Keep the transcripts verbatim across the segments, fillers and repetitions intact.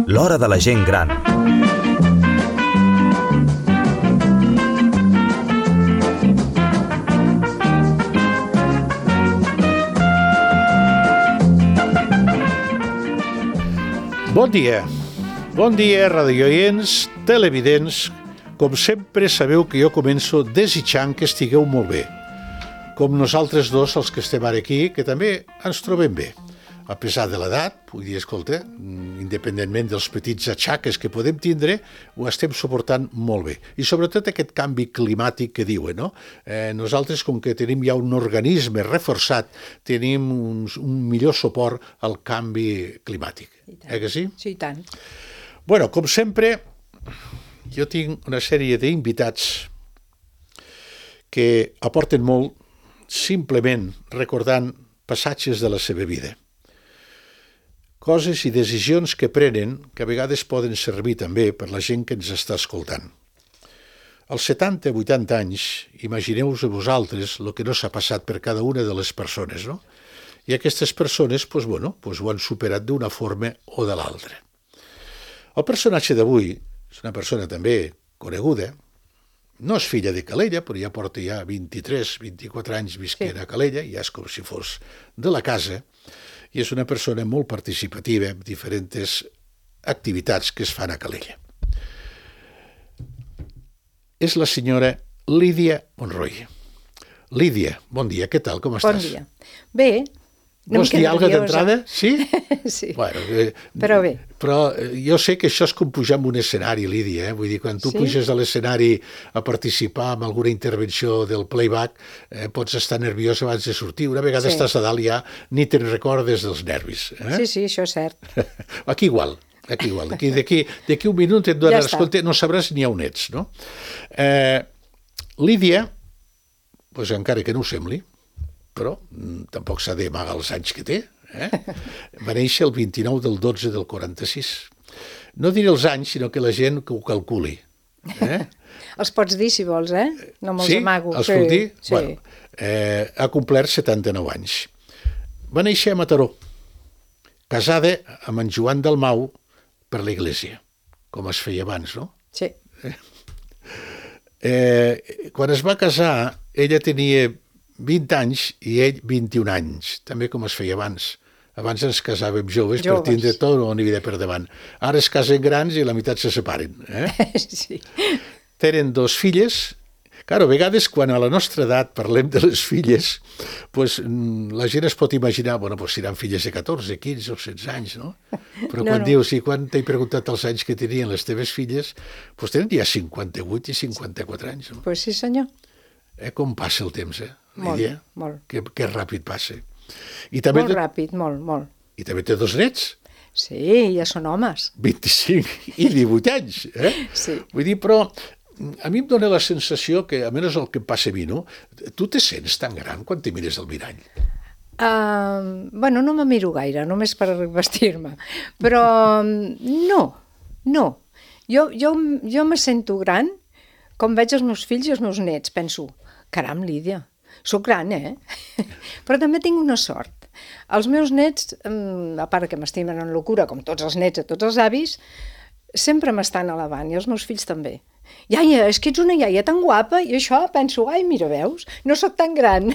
L'hora de la gent gran. Bon dia. Bon dia, radioients, televidents. Com sempre, sabeu que jo començo desitjant que estigueu molt bé. Com nosaltres dos, els que estem ara aquí, que també ens trobem bé. A pesar de l'edat, vull dir, escolta, independentment dels petits atxaques que podem tindre, ho estem suportant molt bé. I sobretot aquest canvi climàtic que diuen, no? Eh, nosaltres, com que tenim ja un organisme reforçat, tenim un, un millor suport al canvi climàtic. Eh que sí? Sí, i tant. Bueno, com sempre, jo tinc una sèrie d'invitats que aporten molt simplement recordant passatges de la seva vida. Coses i decisions que prenen que a vegades poden servir també per la gent que ens està escoltant. Als setanta vuitanta anys, imagineu-vos a vosaltres el que no s'ha passat per cada una de les persones, no? I aquestes persones, doncs, bueno, doncs ho han superat d'una forma o de l'altra. El personatge d'avui és una persona també coneguda, no és filla de Calella, però ja porta ja vint-i-tres vint-i-quatre anys visquent sí. a Calella, ja és com si fos de la casa, i és una persona molt participativa en diferents activitats que es fan a Calella. És la senyora Lídia Monroy. Lídia, bon dia, què tal, com estàs? Bon dia. Bé, una Vols mica dir alguna nerviosa. d'entrada? Sí? Sí, Bueno, eh, però bé. Però jo sé que això és com pujar en un escenari, Lídia, eh? Vull dir, quan tu Sí? puges a l'escenari a participar en alguna intervenció del playback, eh, pots estar nerviós abans de sortir. Una vegada Sí. estàs a dalt ja ni te'n recordes dels nervis. Eh? Sí, sí, això és cert. Aquí igual, aquí igual. D'aquí, d'aquí, d'aquí un minut et donaràs Ja està. compte, no sabràs ni on ets, no? Eh, Lídia, doncs encara que no ho sembli, però mm, tampoc s'ha d'amagar els anys que té, eh? Va néixer el vint-i-nou del dotze del quaranta-sis. No diré els anys, sinó que la gent que ho calculi. Eh? Els pots dir, si vols, eh? No me'ls Sí? amago. Els puc dir? Sí. Bueno, eh, ha complert setanta-nou anys. Va néixer a Mataró, casada amb en Joan Dalmau per l'església, com es feia abans, no? Sí. Eh, quan es va casar, ella tenia vint anys i ell vint-i-un anys, també com es feia abans. Abans ens casàvem joves, Joves. per tindre tot una vida per davant. Ara es casen grans i a la meitat se separen. Eh? Sí. Tenen dos filles. Claro, a vegades, quan a la nostra edat parlem de les filles, pues, la gent es pot imaginar, bueno, pues, seran filles de catorze, quinze o setze anys, no? Però No, quan no. dius, i quan t'he preguntat els anys que tenien les teves filles, pues tenen ja cinquanta-vuit i cinquanta-quatre anys, no? Pues sí, senyor. Eh, com passa el temps, eh? Molt, Lídia? molt. Que, que ràpid passa. I també, Molt ràpid, molt, molt. I també té dos nets, Sí, ja són homes. vint-i-cinc i divuit anys. Eh? Sí. Vull dir, però a mi em dóna la sensació que, almenys el que em passa a mi, no? Tu te sents tan gran quan te mires al mirall. Uh, bueno, no me miro gaire, només per vestir-me. Però no, no. Jo, jo, jo me sento gran com veig els meus fills i els meus nets. Penso, caram, Lídia, sóc gran, eh? Però també tinc una sort. Els meus nets, a part que m'estimen en locura, com tots els nets i tots els avis, sempre m'estan alabant, i els meus fills també. Iaia, és que ets una iaia tan guapa, i això penso, ai, mira, veus, no sóc tan gran.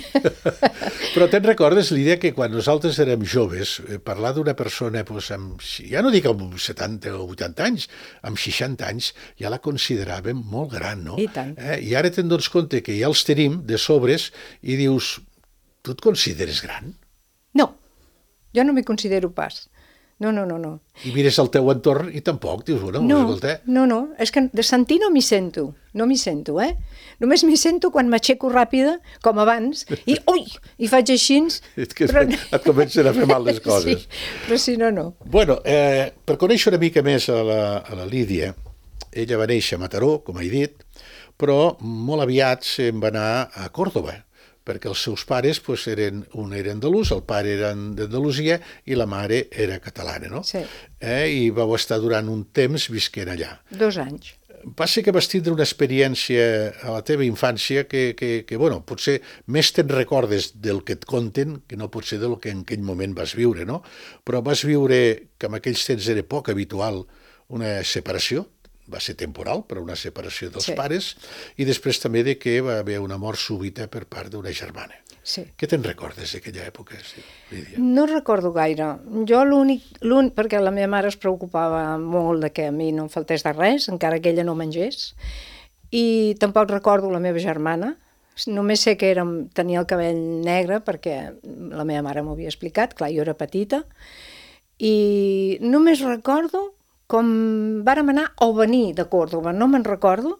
Però te'n recordes, Lídia, que quan nosaltres érem joves, eh, parlar d'una persona, doncs, amb, ja no dic amb setanta o vuitanta anys, amb seixanta anys, ja la consideràvem molt gran, no? I tant. Eh? I ara te'n dones compte que ja els tenim de sobres i dius, tu et consideres gran? No, jo no m'hi considero pas. No, no, no, no. I mires al teu entorn i tampoc, dius, bueno, No, escolta... no, no, és que de sentir no m'hi sento, no m'hi sento, eh? Només m'hi sento quan m'aixeco ràpida, com abans, i ui, i faig així... És que però... et comencen a fer mal les coses. Sí, però si no, no. Bueno, eh, per conèixer una mica més a la, a la Lídia, ella va néixer a Mataró, com he dit, però molt aviat se'n va anar a Còrdova, perquè els seus pares, pues, eren, un era andalús, el pare era d'Andalusia i la mare era catalana, no? Sí. Eh, I vau estar durant un temps visquent allà. Dos anys. Passa que vas tindre una experiència a la teva infància que, que, que bueno, potser més te'n recordes del que et conten que no potser del que en aquell moment vas viure, no? Però vas viure, que en aquells temps era poc habitual, una separació, va ser temporal, però una separació dels Sí. pares, i després també de que va haver una mort súbita per part d'una germana. Sí. Què te'n recordes d'aquella època, sí, Lídia? No recordo gaire. Jo l'únic, l'únic, perquè la meva mare es preocupava molt de que a mi no em faltés de res, encara que ella no mengés, i tampoc recordo la meva germana. Només sé que era, tenia el cabell negre perquè la meva mare m'ho havia explicat, clar, jo era petita, i només recordo com vàrem anar o venir de Còrdova, no me'n recordo,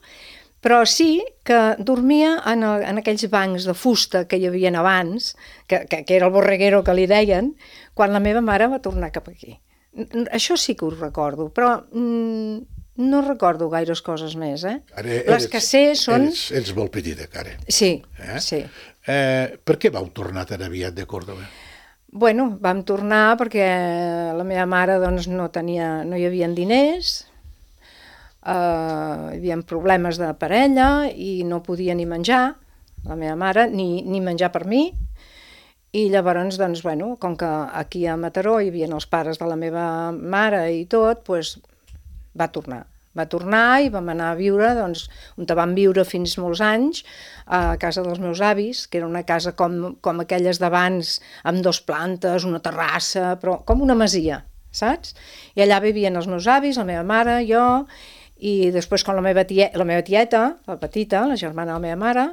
però sí que dormia en, el, en aquells bancs de fusta que hi havia abans, que, que, que era el borreguero que li deien, quan la meva mare va tornar cap aquí. Això sí que ho recordo, però mm, no recordo gaires coses més, eh? Ara Les que sé són... Eres, ets molt petita, encara. Sí, Eh? sí. Eh, per què vau tornar tan aviat de Còrdova? Bueno, vam tornar perquè la meva mare doncs, no, tenia, no hi havia diners, eh, hi havia problemes de parella i no podia ni menjar, la meva mare, ni, ni menjar per mi, i llavors, doncs, bueno, com que aquí a Mataró hi havia els pares de la meva mare i tot, doncs, va tornar. Va tornar i vam anar a viure, doncs, on vam viure fins molts anys, a casa dels meus avis, que era una casa com, com aquelles d'abans, amb dos plantes, una terrassa, però com una masia, saps? I allà vivien els meus avis, la meva mare, jo, i després quan la meva, tia, la meva tieta, la petita, la germana de la meva mare,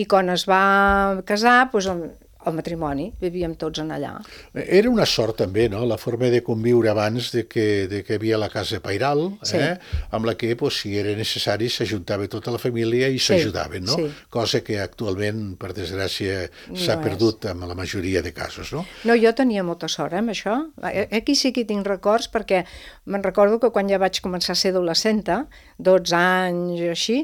i quan es va casar, doncs, el matrimoni, vivíem tots en allà. Era una sort també, no?, la forma de conviure abans de que, de que hi havia la casa pairal, Sí. eh? Amb la que, pues, si era necessari, s'ajuntava tota la família i s'ajudaven, no? sí. Cosa que actualment, per desgràcia, No s'ha és. perdut en la majoria de casos, no? No, jo tenia molta sort, eh, amb això. Aquí sí que hi tinc records, perquè me'n recordo que quan ja vaig començar a ser adolescenta, dotze anys o així,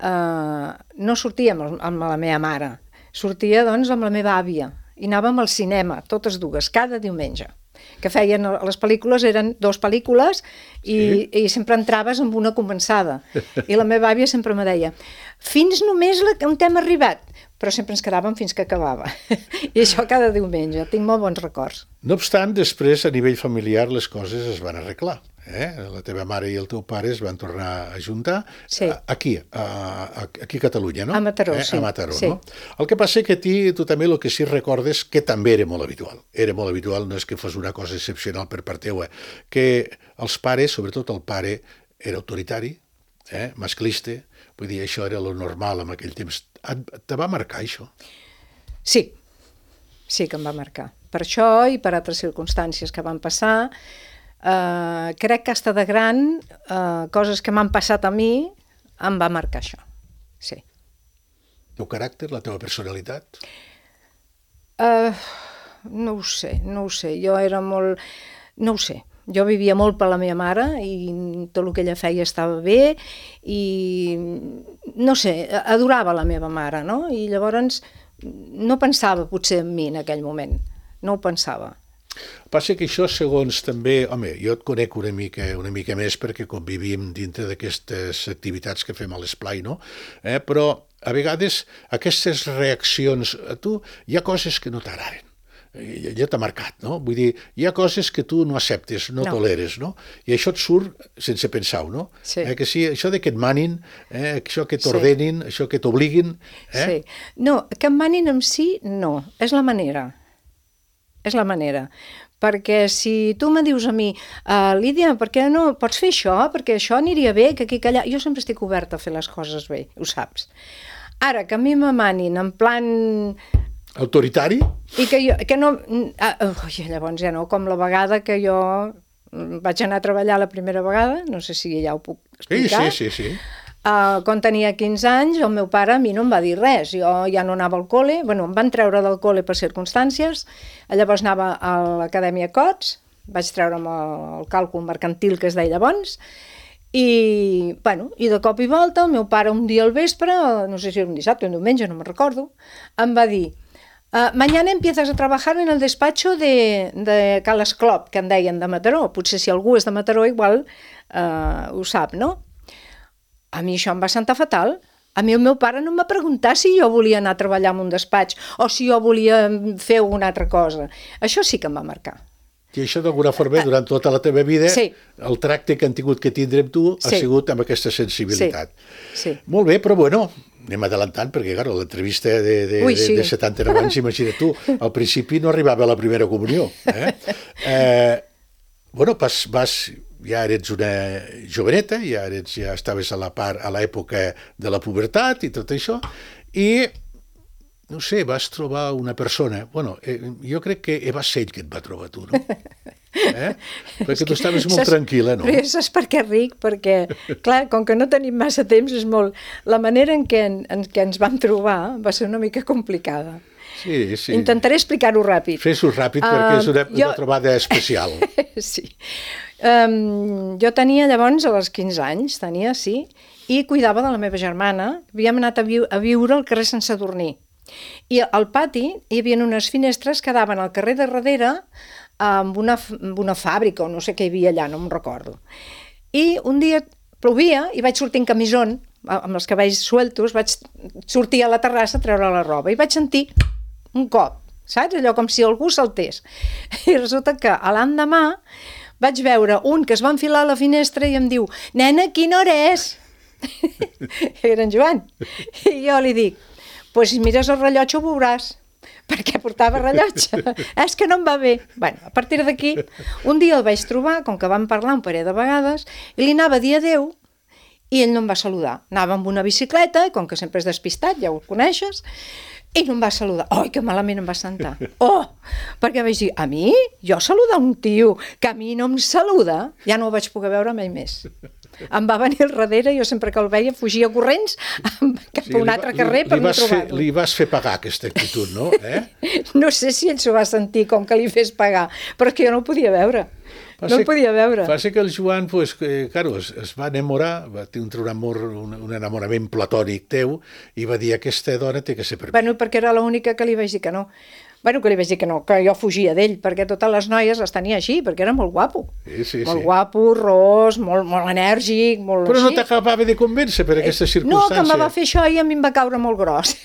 eh, no sortia amb, amb la meva mare. Sortia, doncs, amb la meva àvia i anàvem al cinema, totes dues, cada diumenge. Que feien, les pel·lícules eren dues pel·lícules i, Sí. i sempre entraves amb una començada. I la meva àvia sempre me deia, fins només la, on hem arribat, però sempre ens quedàvem fins que acabava. I això cada diumenge, tinc molt bons records. No obstant, després, a nivell familiar, les coses es van arreglar. Eh? La teva mare i el teu pare es van tornar a juntar Sí. aquí, a, aquí a Catalunya, no? A Mataró, eh? sí. A Mataró, Sí. no? El que passa que a ti, tu també el que sí recordes, que també era molt habitual, era molt habitual, no és que fos una cosa excepcional per part teua, que els pares, sobretot el pare, era autoritari, eh? masclista, vull dir, això era lo normal en aquell temps. Te va marcar això? Sí, sí que em va marcar. Per això i per altres circumstàncies que van passar, eh, crec que hasta de gran, eh, coses que m'han passat a mi, em va marcar això, sí. El teu caràcter, la teva personalitat? Uh, no ho sé, no ho sé. Jo era molt... No ho sé. Jo vivia molt per la meva mare i tot el que ella feia estava bé i, no sé, adorava la meva mare, no? I llavors no pensava potser en mi en aquell moment. No ho pensava. Passa que això, segons també... Home, jo et conec una mica, una mica més perquè convivim dintre d'aquestes activitats que fem a l'esplai, no? Eh? Però, a vegades, aquestes reaccions a tu, hi ha coses que no t'agraden. Ja t'ha marcat, no? Vull dir, hi ha coses que tu no acceptes, no, No. toleres, no? I això et surt sense pensar-ho, no? Sí. Eh, que sí, això de que et manin, eh, això que Sí. t'ordenin, això que t'obliguin... Eh? Sí. No, que em manin en si, no. És la manera. És la manera. Perquè si tu me dius a mi, uh, Lídia, per què no pots fer això? Perquè això aniria bé, que aquí, que allà... Jo sempre estic oberta a fer les coses bé, ho saps. Ara, que a mi me manin en plan... Autoritari? I que jo, que no... Ah, ui, llavors ja no, com la vegada que jo vaig anar a treballar la primera vegada, no sé si ja ho puc Sí, explicar. sí, sí, sí. Uh, quan tenia quinze anys, el meu pare a mi no em va dir res. Jo ja no anava al col·le, bueno, em van treure del col·le per circumstàncies, llavors anava a l'Acadèmia Cots, vaig treure'm el, el càlcul mercantil que es deia llavors, i, bueno, i de cop i volta el meu pare un dia al vespre, no sé si era un dissabte o un diumenge, no me'n recordo, em va dir, uh, mañana empiezas a trabajar en el despacho de, de Cal Esclop, que en deien de Mataró, potser si algú és de Mataró igual uh, ho sap, no? A mi això em va sentar fatal. A mi el meu pare no em va preguntar si jo volia anar a treballar en un despatx o si jo volia fer alguna altra cosa. Això sí que em va marcar. I això d'alguna forma, durant tota la teva vida, sí. el tracte que han tingut que tindre amb tu ha sí. sigut amb aquesta sensibilitat. Sí. Sí. Molt bé, però bueno, anem adelantant, perquè claro, l'entrevista de, de, Ui, de, sí. de setanta-nou anys, imagina't tu, al principi no arribava a la primera comunió. Eh? Eh, bueno, vas, vas, ja eres una joveneta, ja, eres, ja estaves a la part, a l'època de la pubertat i tot això, i no sé, vas trobar una persona... Bueno, eh, jo crec que va ser ell que et va trobar tu, no? Eh? Perquè tu estaves molt saps, tranquil·la, no? Però saps per què ric? Perquè, clar, com que no tenim massa temps, és molt... La manera en què, en, en què ens vam trobar va ser una mica complicada. Sí, sí. Intentaré explicar-ho ràpid. Fes-ho ràpid, uh, perquè és una, jo... una trobada especial. Sí. Um, jo tenia llavors, a les quinze anys, tenia, sí, i cuidava de la meva germana. Havíem anat a, vi a viure al carrer Sant Sadurní. I al pati hi havia unes finestres que daven al carrer de darrere amb una, amb una fàbrica o no sé què hi havia allà, no me'n recordo. I un dia plovia i vaig sortir en camisón, amb els cabells sueltos, vaig sortir a la terrassa a treure la roba i vaig sentir un cop, saps? Allò com si algú saltés. I resulta que l'endemà vaig veure un que es va enfilar a la finestra i em diu: «Nena, quina hora és?» Era en Joan. I jo li dic: «Pues si mires el rellotge ho veuràs», perquè portava rellotge. És que no em va bé. Bueno, a partir d'aquí, un dia el vaig trobar, com que vam parlar un parell de vegades, i li anava a dir adéu, i ell no em va saludar. Anava amb una bicicleta, i com que sempre és despistat, ja ho coneixes, i no em va saludar. Ai, que malament em va sentar. Oh, perquè vaig dir, a mi? Jo saludar un tio que a mi no em saluda? Ja no ho vaig poder veure mai més. Em va venir al darrere, jo sempre que el veia fugia corrents cap a un altre carrer per no trobar-lo. Li vas fer pagar aquesta actitud, no? Eh? No sé si ell s'ho va sentir com que li fes pagar, però que jo no ho podia veure. No ho podia veure. Va ser que el Joan, pues, que, claro, es, es va enamorar, va tenir un amor, un, un enamorament platònic teu, i va dir, aquesta dona té que ser per mi. Bueno, perquè era l'única que li vaig dir que no. Bueno, que li vaig dir que no, que jo fugia d'ell, perquè totes les noies les tenia així, perquè era molt guapo. Sí, sí, molt sí. guapo, ros, molt, molt enèrgic, molt Però així. no t'acabava de convèncer per aquesta circumstància. No, que me va fer això i a mi em va caure molt gros.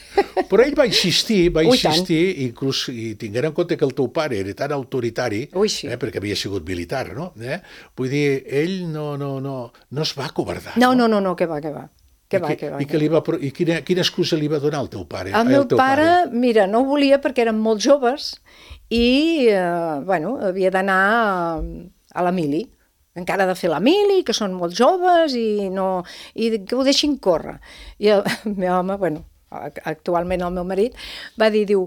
Però ell va insistir, va Ui, insistir, inclús, i tinguent en compte que el teu pare era tan autoritari, Ui, sí. eh, perquè havia sigut militar, no? Eh? Vull dir, ell no, no, no, no es va acovardar. No, no, no, no, que va, que va. Que va, I, que va, i, que li va, i quina, quina excusa li va donar al teu pare? El meu teu pare, pare, mira, no ho volia perquè érem molt joves i, eh, bueno, havia d'anar a, a la mili. Encara ha de fer la mili, que són molt joves i, no, i que ho deixin córrer. I el, el meu home, bueno, actualment el meu marit, va dir, diu,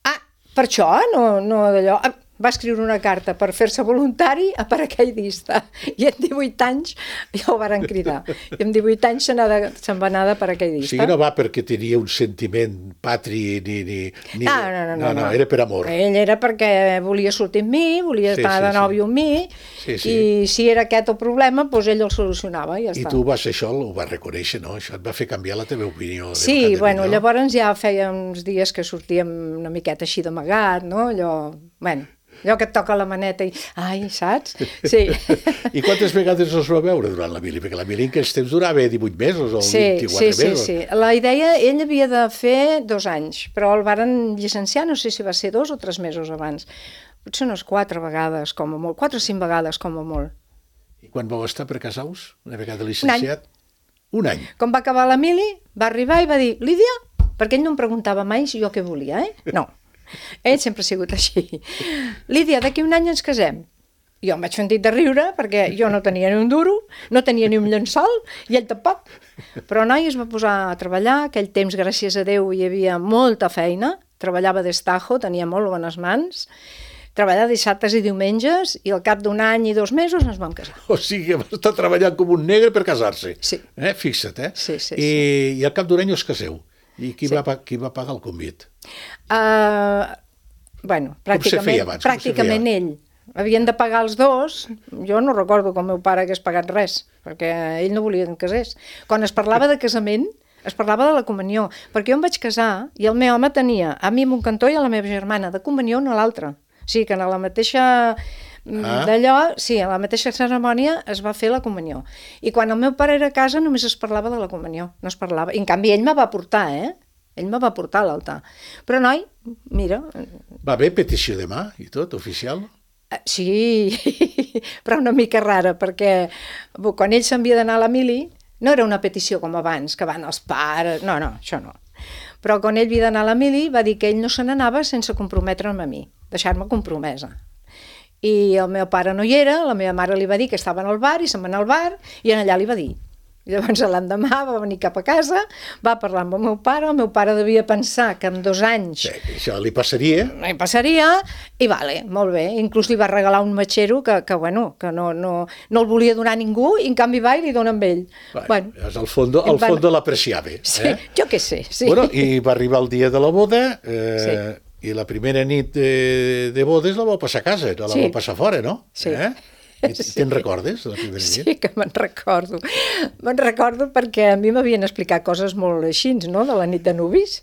ah, per això, no, no d'allò... Va escriure una carta per fer-se voluntari a paracaidista. I en divuit anys ja ho varen cridar. I en divuit anys se'n va anar de paracaidista. O sigui, no va perquè tenia un sentiment patri ni... ni, ni... No, no, no, no, no, era per amor. Ell era perquè volia sortir amb mi, volia sí, estar sí, de nòvio amb mi, sí, sí. i si era aquest el problema, doncs ell el solucionava i ja I està. tu vas, això ho vas reconèixer, no? Això et va fer canviar la teva opinió. Sí, bueno, llavors ja feia uns dies que sortíem una miqueta així d'amagat, no? Allò, bueno... allò que et toca la maneta i... Ai, saps? Sí. I quantes vegades els va veure durant la mili? Perquè la mili en aquells temps durava divuit mesos o sí, vint-i-quatre sí, mesos. Sí, sí. La idea, ell havia de fer dos anys, però el varen llicenciar, no sé si va ser dos o tres mesos abans. Potser unes quatre vegades, com a molt. Quatre o cinc vegades, com a molt. I quan vau estar per casar-vos? Una vegada llicenciat? Un any. Un any. Com va acabar la mili, va arribar i va dir, Lídia, perquè ell no em preguntava mai si jo què volia, eh? No. Ell sempre ha sigut així. Lídia, d'aquí un any ens casem. Jo em vaig sentir de riure perquè jo no tenia ni un duro, no tenia ni un llençol i ell tampoc. Però noi es va posar a treballar, aquell temps, gràcies a Déu, hi havia molta feina, treballava d'estajo, tenia molt bones mans, treballava dissabtes i diumenges i al cap d'un any i dos mesos ens vam casar. O sigui, va estar treballant com un negre per casar-se. Sí. Eh? Fixa't, eh? Sí, sí, I, sí. I al cap d'un any us caseu. I qui, Sí. va, qui va pagar el convit? Uh, bueno, pràcticament, feia abans? Com se pràcticament feia? ell. Havien de pagar els dos. Jo no recordo que el meu pare hagués pagat res, perquè ell no volia que em casés. Quan es parlava de casament, es parlava de la comunió, perquè jo em vaig casar i el meu home tenia a mi en un cantó i a la meva germana de comunió en l'altre. O sigui que en la mateixa Ah. D'allò, sí, a la mateixa cerimònia es va fer la comunió. I quan el meu pare era a casa només es parlava de la comunió, no es parlava. I en canvi ell me va portar, eh? Ell me va portar a l'altar. Però noi, mira... Va haver petició de mà i tot, oficial? Sí, però una mica rara, perquè quan ell s'havia d'anar a la mili, no era una petició com abans, que van els pares... No, no, això no. Però quan ell havia d'anar a la mili va dir que ell no se n'anava sense comprometre'm a mi, deixar-me compromesa. I el meu pare no hi era, la meva mare li va dir que estava al bar i se'n va anar al bar i en allà li va dir. I llavors l'endemà va venir cap a casa, va parlar amb el meu pare, el meu pare devia pensar que en dos anys... Sí, això li passaria. Li passaria, i vale, molt bé. Inclús li va regalar un matxero que, que bueno, que no, no, no el volia donar a ningú i en canvi va i li dona amb ell. Bueno, bueno, al fondo, al van... fondo l'apreciava. Sí, eh? jo què sé, sí. Bueno, i va arribar el dia de la boda, eh, Sí. i la primera nit de, de bodes la vau passar a casa, no la Sí. vau passar fora, no? Sí. Eh? I Sí. te'n recordes, de la primera nit? Sí, que me'n recordo. Me'n recordo perquè a mi m'havien explicat coses molt així, no?, de la nit de nuvis.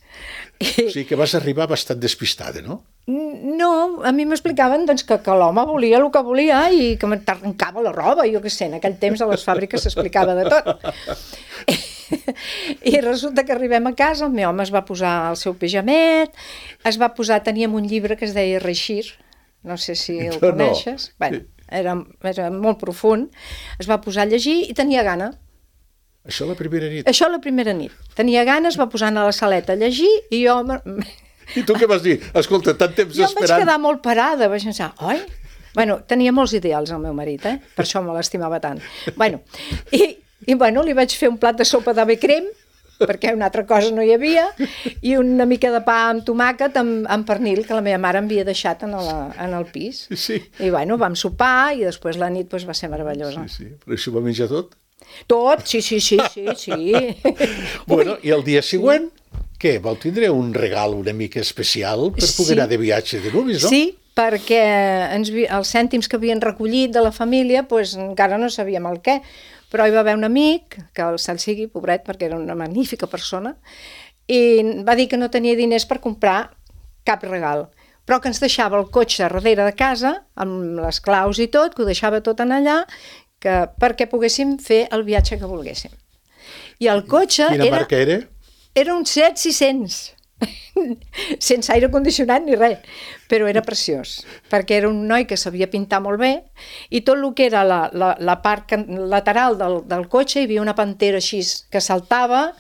O sigui que vas arribar bastant despistada, no? No, a mi m'explicaven doncs, que, que l'home volia el que volia i que m'arrencava la roba, jo què sé, en aquell temps a les fàbriques s'explicava de tot. I resulta que arribem a casa, el meu home es va posar el seu pijamet, es va posar, teníem un llibre que es deia Reixir, no sé si el No, no. coneixes, bueno, era, era molt profund, es va posar a llegir i tenia gana. Això la primera nit. Això la primera nit. Tenia gana, es va posar a la saleta a llegir i jo... I tu què vas dir? Escolta, tant temps Jo em vaig esperant... quedar molt parada, vaig pensar, oi? Bueno, tenia molts ideals el meu marit, eh? Per això me l'estimava tant. Bueno, i, i bueno, li vaig fer un plat de sopa d'ave crem, perquè una altra cosa no hi havia, i una mica de pa amb tomàquet amb, amb pernil, que la meva mare havia deixat en, la, en el pis. Sí. I bueno, vam sopar i després la nit pues, va ser meravellosa. Sí, sí. Però això va menjar tot? Tot, sí, sí, sí, sí, sí. Bueno, i el dia següent, què? Vau tindre un regal una mica especial per poder Sí. anar de viatge de nuvis, no? Sí, perquè ens, vi- els cèntims que havien recollit de la família pues, encara no sabíem el què, però hi va haver un amic, que el cel sigui, pobret, perquè era una magnífica persona, i va dir que no tenia diners per comprar cap regal, però que ens deixava el cotxe darrere de casa, amb les claus i tot, que ho deixava tot en allà, que, perquè poguéssim fer el viatge que volguéssim. I el cotxe Quina era, marca era? era un Seat sis cents, sense aire condicionat ni res, però era preciós, perquè era un noi que sabia pintar molt bé i tot el que era la, la, la part can- lateral del, del cotxe hi havia una pantera així que saltava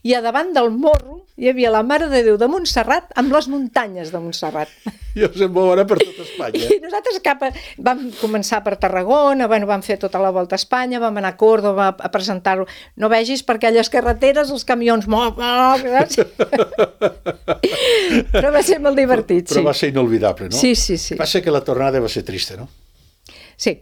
i a davant del morro hi havia la Mare de Déu de Montserrat amb les muntanyes de Montserrat. I us en vau anar per tot Espanya. I nosaltres cap a, vam començar per Tarragona, bueno, vam fer tota la volta a Espanya, vam anar a Córdoba a, a presentar-ho. No vegis per aquelles carreteres els camions molt... saps? Però va ser molt divertit, sí. Però va ser inolvidable, no? Sí, sí, sí. Passa que la tornada va ser trista, no? Sí,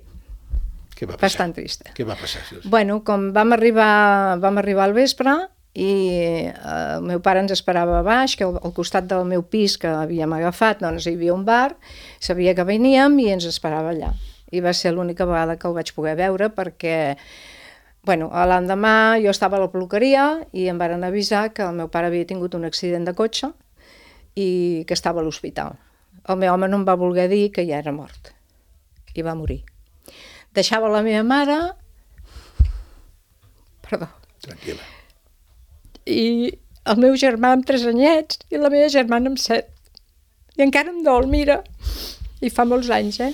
Què va passar? bastant trista. Què va passar? Bueno, com vam arribar, vam arribar al vespre i eh, el meu pare ens esperava a baix, que al, al costat del meu pis que havíem agafat doncs hi havia un bar, sabia que veníem i ens esperava allà. I va ser l'única vegada que el vaig poder veure perquè, bueno, l'endemà jo estava a la peluqueria i em varen avisar que el meu pare havia tingut un accident de cotxe i que estava a l'hospital. El meu home no em va voler dir que ja era mort i va morir. Deixava la meva mare... Perdó. Tranquil·la. I el meu germà amb tres anyets i la meva germana amb set. I encara em dol, mira. I fa molts anys, eh?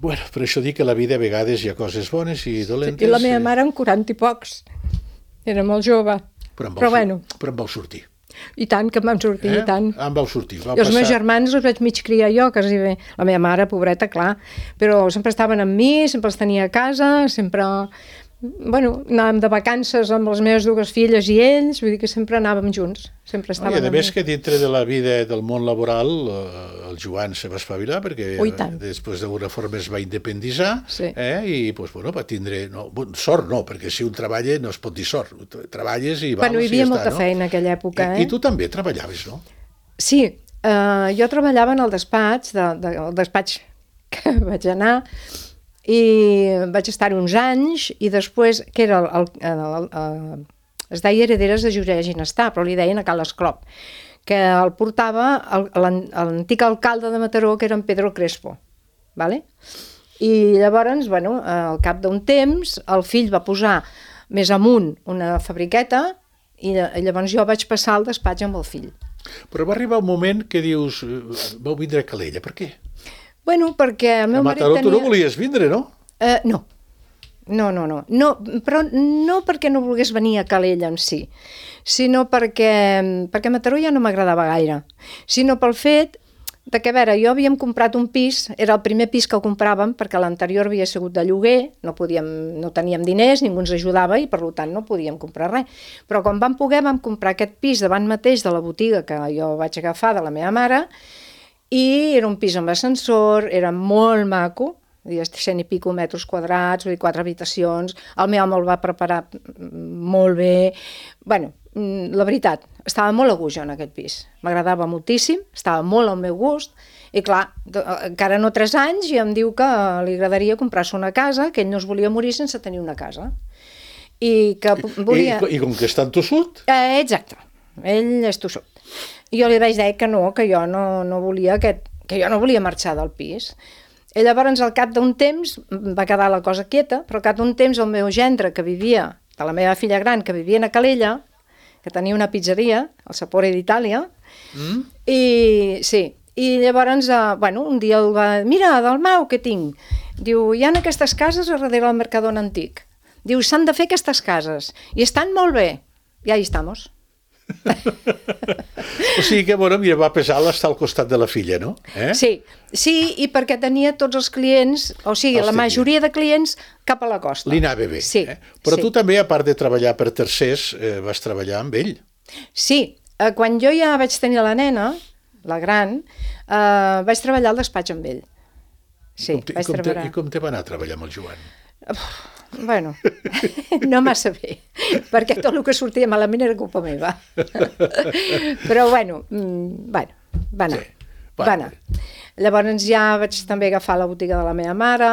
Bueno, per això dic que a la vida a vegades hi ha coses bones i dolentes. I la meva mare amb quaranta i pocs. Era molt jove. Però, en vau, Però sur- bueno, però en vau sortir. i tant que em vam sortir, Eh? i tant. En vau sortir. Vau I els passar... meus germans els vaig mig criar jo, quasi bé. La meva mare, pobreta, clar. Però sempre estaven amb mi, sempre els tenia a casa, sempre... Bueno, anàvem de vacances amb les meves dues filles i ells, vull dir que sempre anàvem junts, sempre No, estaven I a amb més mi. que dintre de la vida del món laboral eh, el Joan se va espavilar perquè Oh, i tant. després d'alguna forma es va independitzar Sí. eh, i pues, bueno, va tindre no, bon, sort no, perquè si un treballa no es pot dir sort, treballes i vals Bueno, hi i havia ja molta està, no? feina en aquella època, I, eh? I tu també treballaves, no? Sí, eh, jo treballava en el despatx, de, de, el despatx que vaig anar, i vaig estar uns anys, i després, que era el, el, el, el, es deia Herederes de José Ginestar, però li deien a Cal Esclop, que el portava el- l'an- l'antic alcalde de Mataró, que era en Pedro Crespo. vale? I llavors, bueno, al cap d'un temps, el fill va posar més amunt una fabriqueta i llavors jo vaig passar al despatx amb el fill. Però va arribar un moment que dius, vau vindre a Calella, per què? Bueno, perquè el meu A marit Mataró tenia... tu no volies vindre, no? Uh, no. No, no, no, no, però no perquè no volgués venir a Calella en si, sinó perquè, perquè a Mataró ja no m'agradava gaire, sinó pel fet de que, a veure, jo havíem comprat un pis, era el primer pis que compràvem, perquè l'anterior havia sigut de lloguer, no, podíem, no teníem diners, ningú ens ajudava i, per tant, no podíem comprar res. Però quan vam poder, vam comprar aquest pis davant mateix de la botiga que jo vaig agafar de la meva mare, i era un pis amb ascensor, era molt maco, cent i pico metres quadrats, vull dir, quatre habitacions, el meu home el va preparar molt bé, bueno, la veritat, estava molt a gust jo en aquest pis, m'agradava moltíssim, estava molt al meu gust, i clar, encara no tres anys i em diu que li agradaria comprar-se una casa, que ell no es volia morir sense tenir una casa. I que volia... I, i com que està en tossut? Eh, exacte, ell és tossut. I jo li vaig dir que no, que jo no, no volia aquest, que jo no volia marxar del pis. I llavors, al cap d'un temps, va quedar la cosa quieta, però al cap d'un temps el meu gendre, que vivia, de la meva filla gran, que vivia a Calella, que tenia una pizzeria, el Sapore d'Itàlia, mm. i sí, i llavors, eh, bueno, un dia el va... Mira, Dalmau, què tinc? Diu, hi ha aquestes cases a darrere del Mercadona Antic. Diu, s'han de fer aquestes cases, i estan molt bé. I ahí estamos. O sigui que, bueno, mira, va pesar l'estar al costat de la filla, no? Eh? Sí, sí, i perquè tenia tots els clients, o sigui, Hosti, la majoria de clients cap a la costa. Li anava bé. Sí, eh? Però sí. tu també, a part de treballar per tercers, eh, vas treballar amb ell. Sí, eh, quan jo ja vaig tenir la nena, la gran, eh, vaig treballar al despatx amb ell. Sí, I com te, vaig i com treballar. Te, I com te va anar a treballar amb el Joan? Uf, bueno, no massa bé, perquè tot el que sortia malament era culpa meva. Però bueno, bueno, va anar, sí, va anar. Llavors ja vaig també agafar la botiga de la meva mare.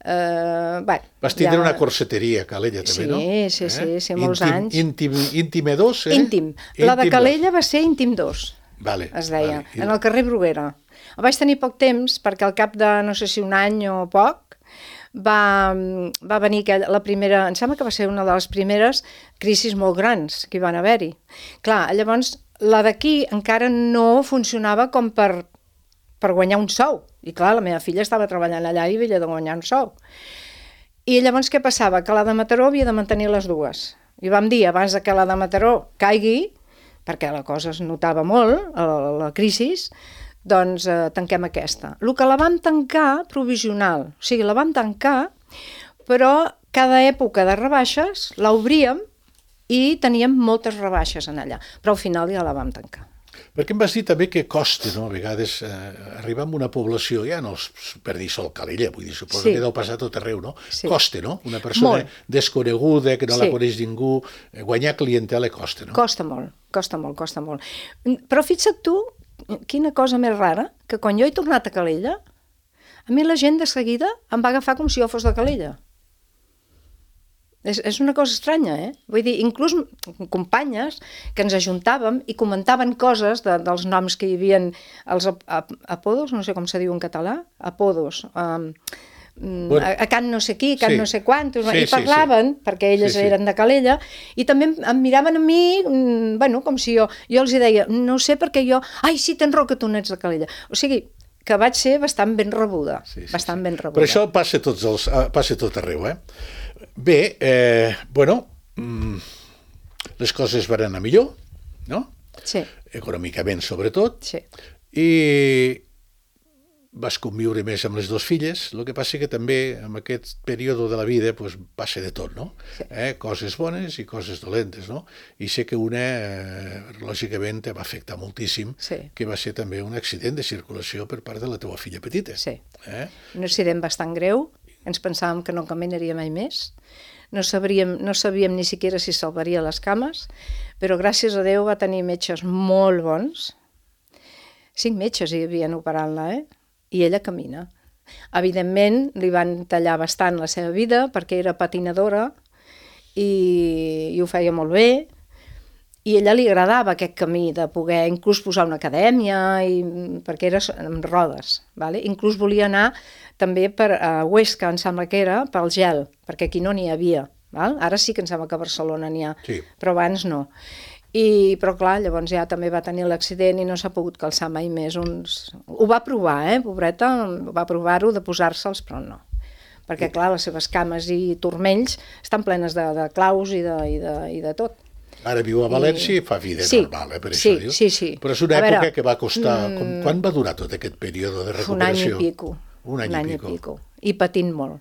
Eh, bueno, vas tindre ja... una corseteria a Calella també, sí, no? Sí, sí, eh? sí, molts íntim, anys. Íntim, íntim dos, eh? Íntim. La de Calella va ser Íntim dos, vale, es deia, vale. en el carrer Bruguera. El vaig tenir poc temps perquè al cap de no sé si un any o poc va, va venir aquella, la primera, em sembla que va ser una de les primeres crisis molt grans que hi van haver-hi. Clar, llavors la d'aquí encara no funcionava com per, per guanyar un sou. I clar, la meva filla estava treballant allà i havia de guanyar un sou. I llavors què passava? Que la de Mataró havia de mantenir les dues. I vam dir, abans que la de Mataró caigui, perquè la cosa es notava molt, la, la crisi, doncs eh, tanquem aquesta. El que la vam tancar, provisional, o sigui, la vam tancar, però cada època de rebaixes l'obríem i teníem moltes rebaixes en allà, però al final ja la vam tancar. Perquè em vas dir també que costa, no? A vegades eh, arribar a una població, ja no per dir sol Calella, vull dir, suposo sí. que deu passar tot arreu, no? Sí. Costa, no? Una persona molt. Desconeguda, que no sí. la coneix ningú, guanyar clientela costa, no? Costa molt, costa molt, costa molt. Però fixa't tu, quina cosa més rara, que quan jo he tornat a Calella, a mi la gent de seguida em va agafar com si jo fos de Calella. És, és una cosa estranya, eh? Vull dir, inclús companyes que ens ajuntàvem i comentaven coses de, dels noms que hi havia, els ap ap apodos, no sé com se diu en català, apodos, um, bueno, a, a Can no sé qui, Can sí. no sé quantos, sí, i parlaven, sí, sí. perquè elles sí, sí. eren de Calella, i també em miraven a mi, bueno, com si jo, jo els deia, no sé perquè jo, ai, sí, tens raó que tu no ets de Calella. O sigui, que vaig ser bastant ben rebuda, sí, sí, bastant sí. ben rebuda. Però això passa, tots els, passa tot arreu, eh? Bé, eh, bueno, mm, les coses van anar millor, no? Sí. Econòmicament, sobretot. Sí. I vas conviure més amb les dues filles, el que passa que també en aquest període de la vida pues, passa de tot, no? Sí. Eh? Coses bones i coses dolentes, no? I sé que una, eh, lògicament, te va afectar moltíssim, sí. que va ser també un accident de circulació per part de la teva filla petita. Sí, eh? un accident bastant greu, ens pensàvem que no caminaria mai més, no sabríem, no sabíem ni siquiera si salvaria les cames, però gràcies a Déu va tenir metges molt bons, cinc metges hi havien operant-la, eh? I ella camina. Evidentment, li van tallar bastant la seva vida perquè era patinadora i, i ho feia molt bé I a ella li agradava aquest camí de poder inclús posar una acadèmia, i, perquè era amb rodes. Vale? Inclús volia anar també per a Huesca, em sembla que era, pel gel, perquè aquí no n'hi havia. Val? Ara sí que em sembla que a Barcelona n'hi ha, Sí. però abans no. I, però clar, llavors ja també va tenir l'accident i no s'ha pogut calçar mai més uns... Ho va provar, eh, pobreta, va provar-ho de posar-se'ls, però no. Perquè clar, les seves cames i turmells estan plenes de, de claus i de, i, de, i de tot. Ara viu a València i fa vida sí, normal, eh, per sí, això diu. Sí, sí. Però és una a època veure, que va costar... mm, Quan va durar tot aquest període de recuperació? Un any i pico. Un any, un any i pico. I pico. I patint molt.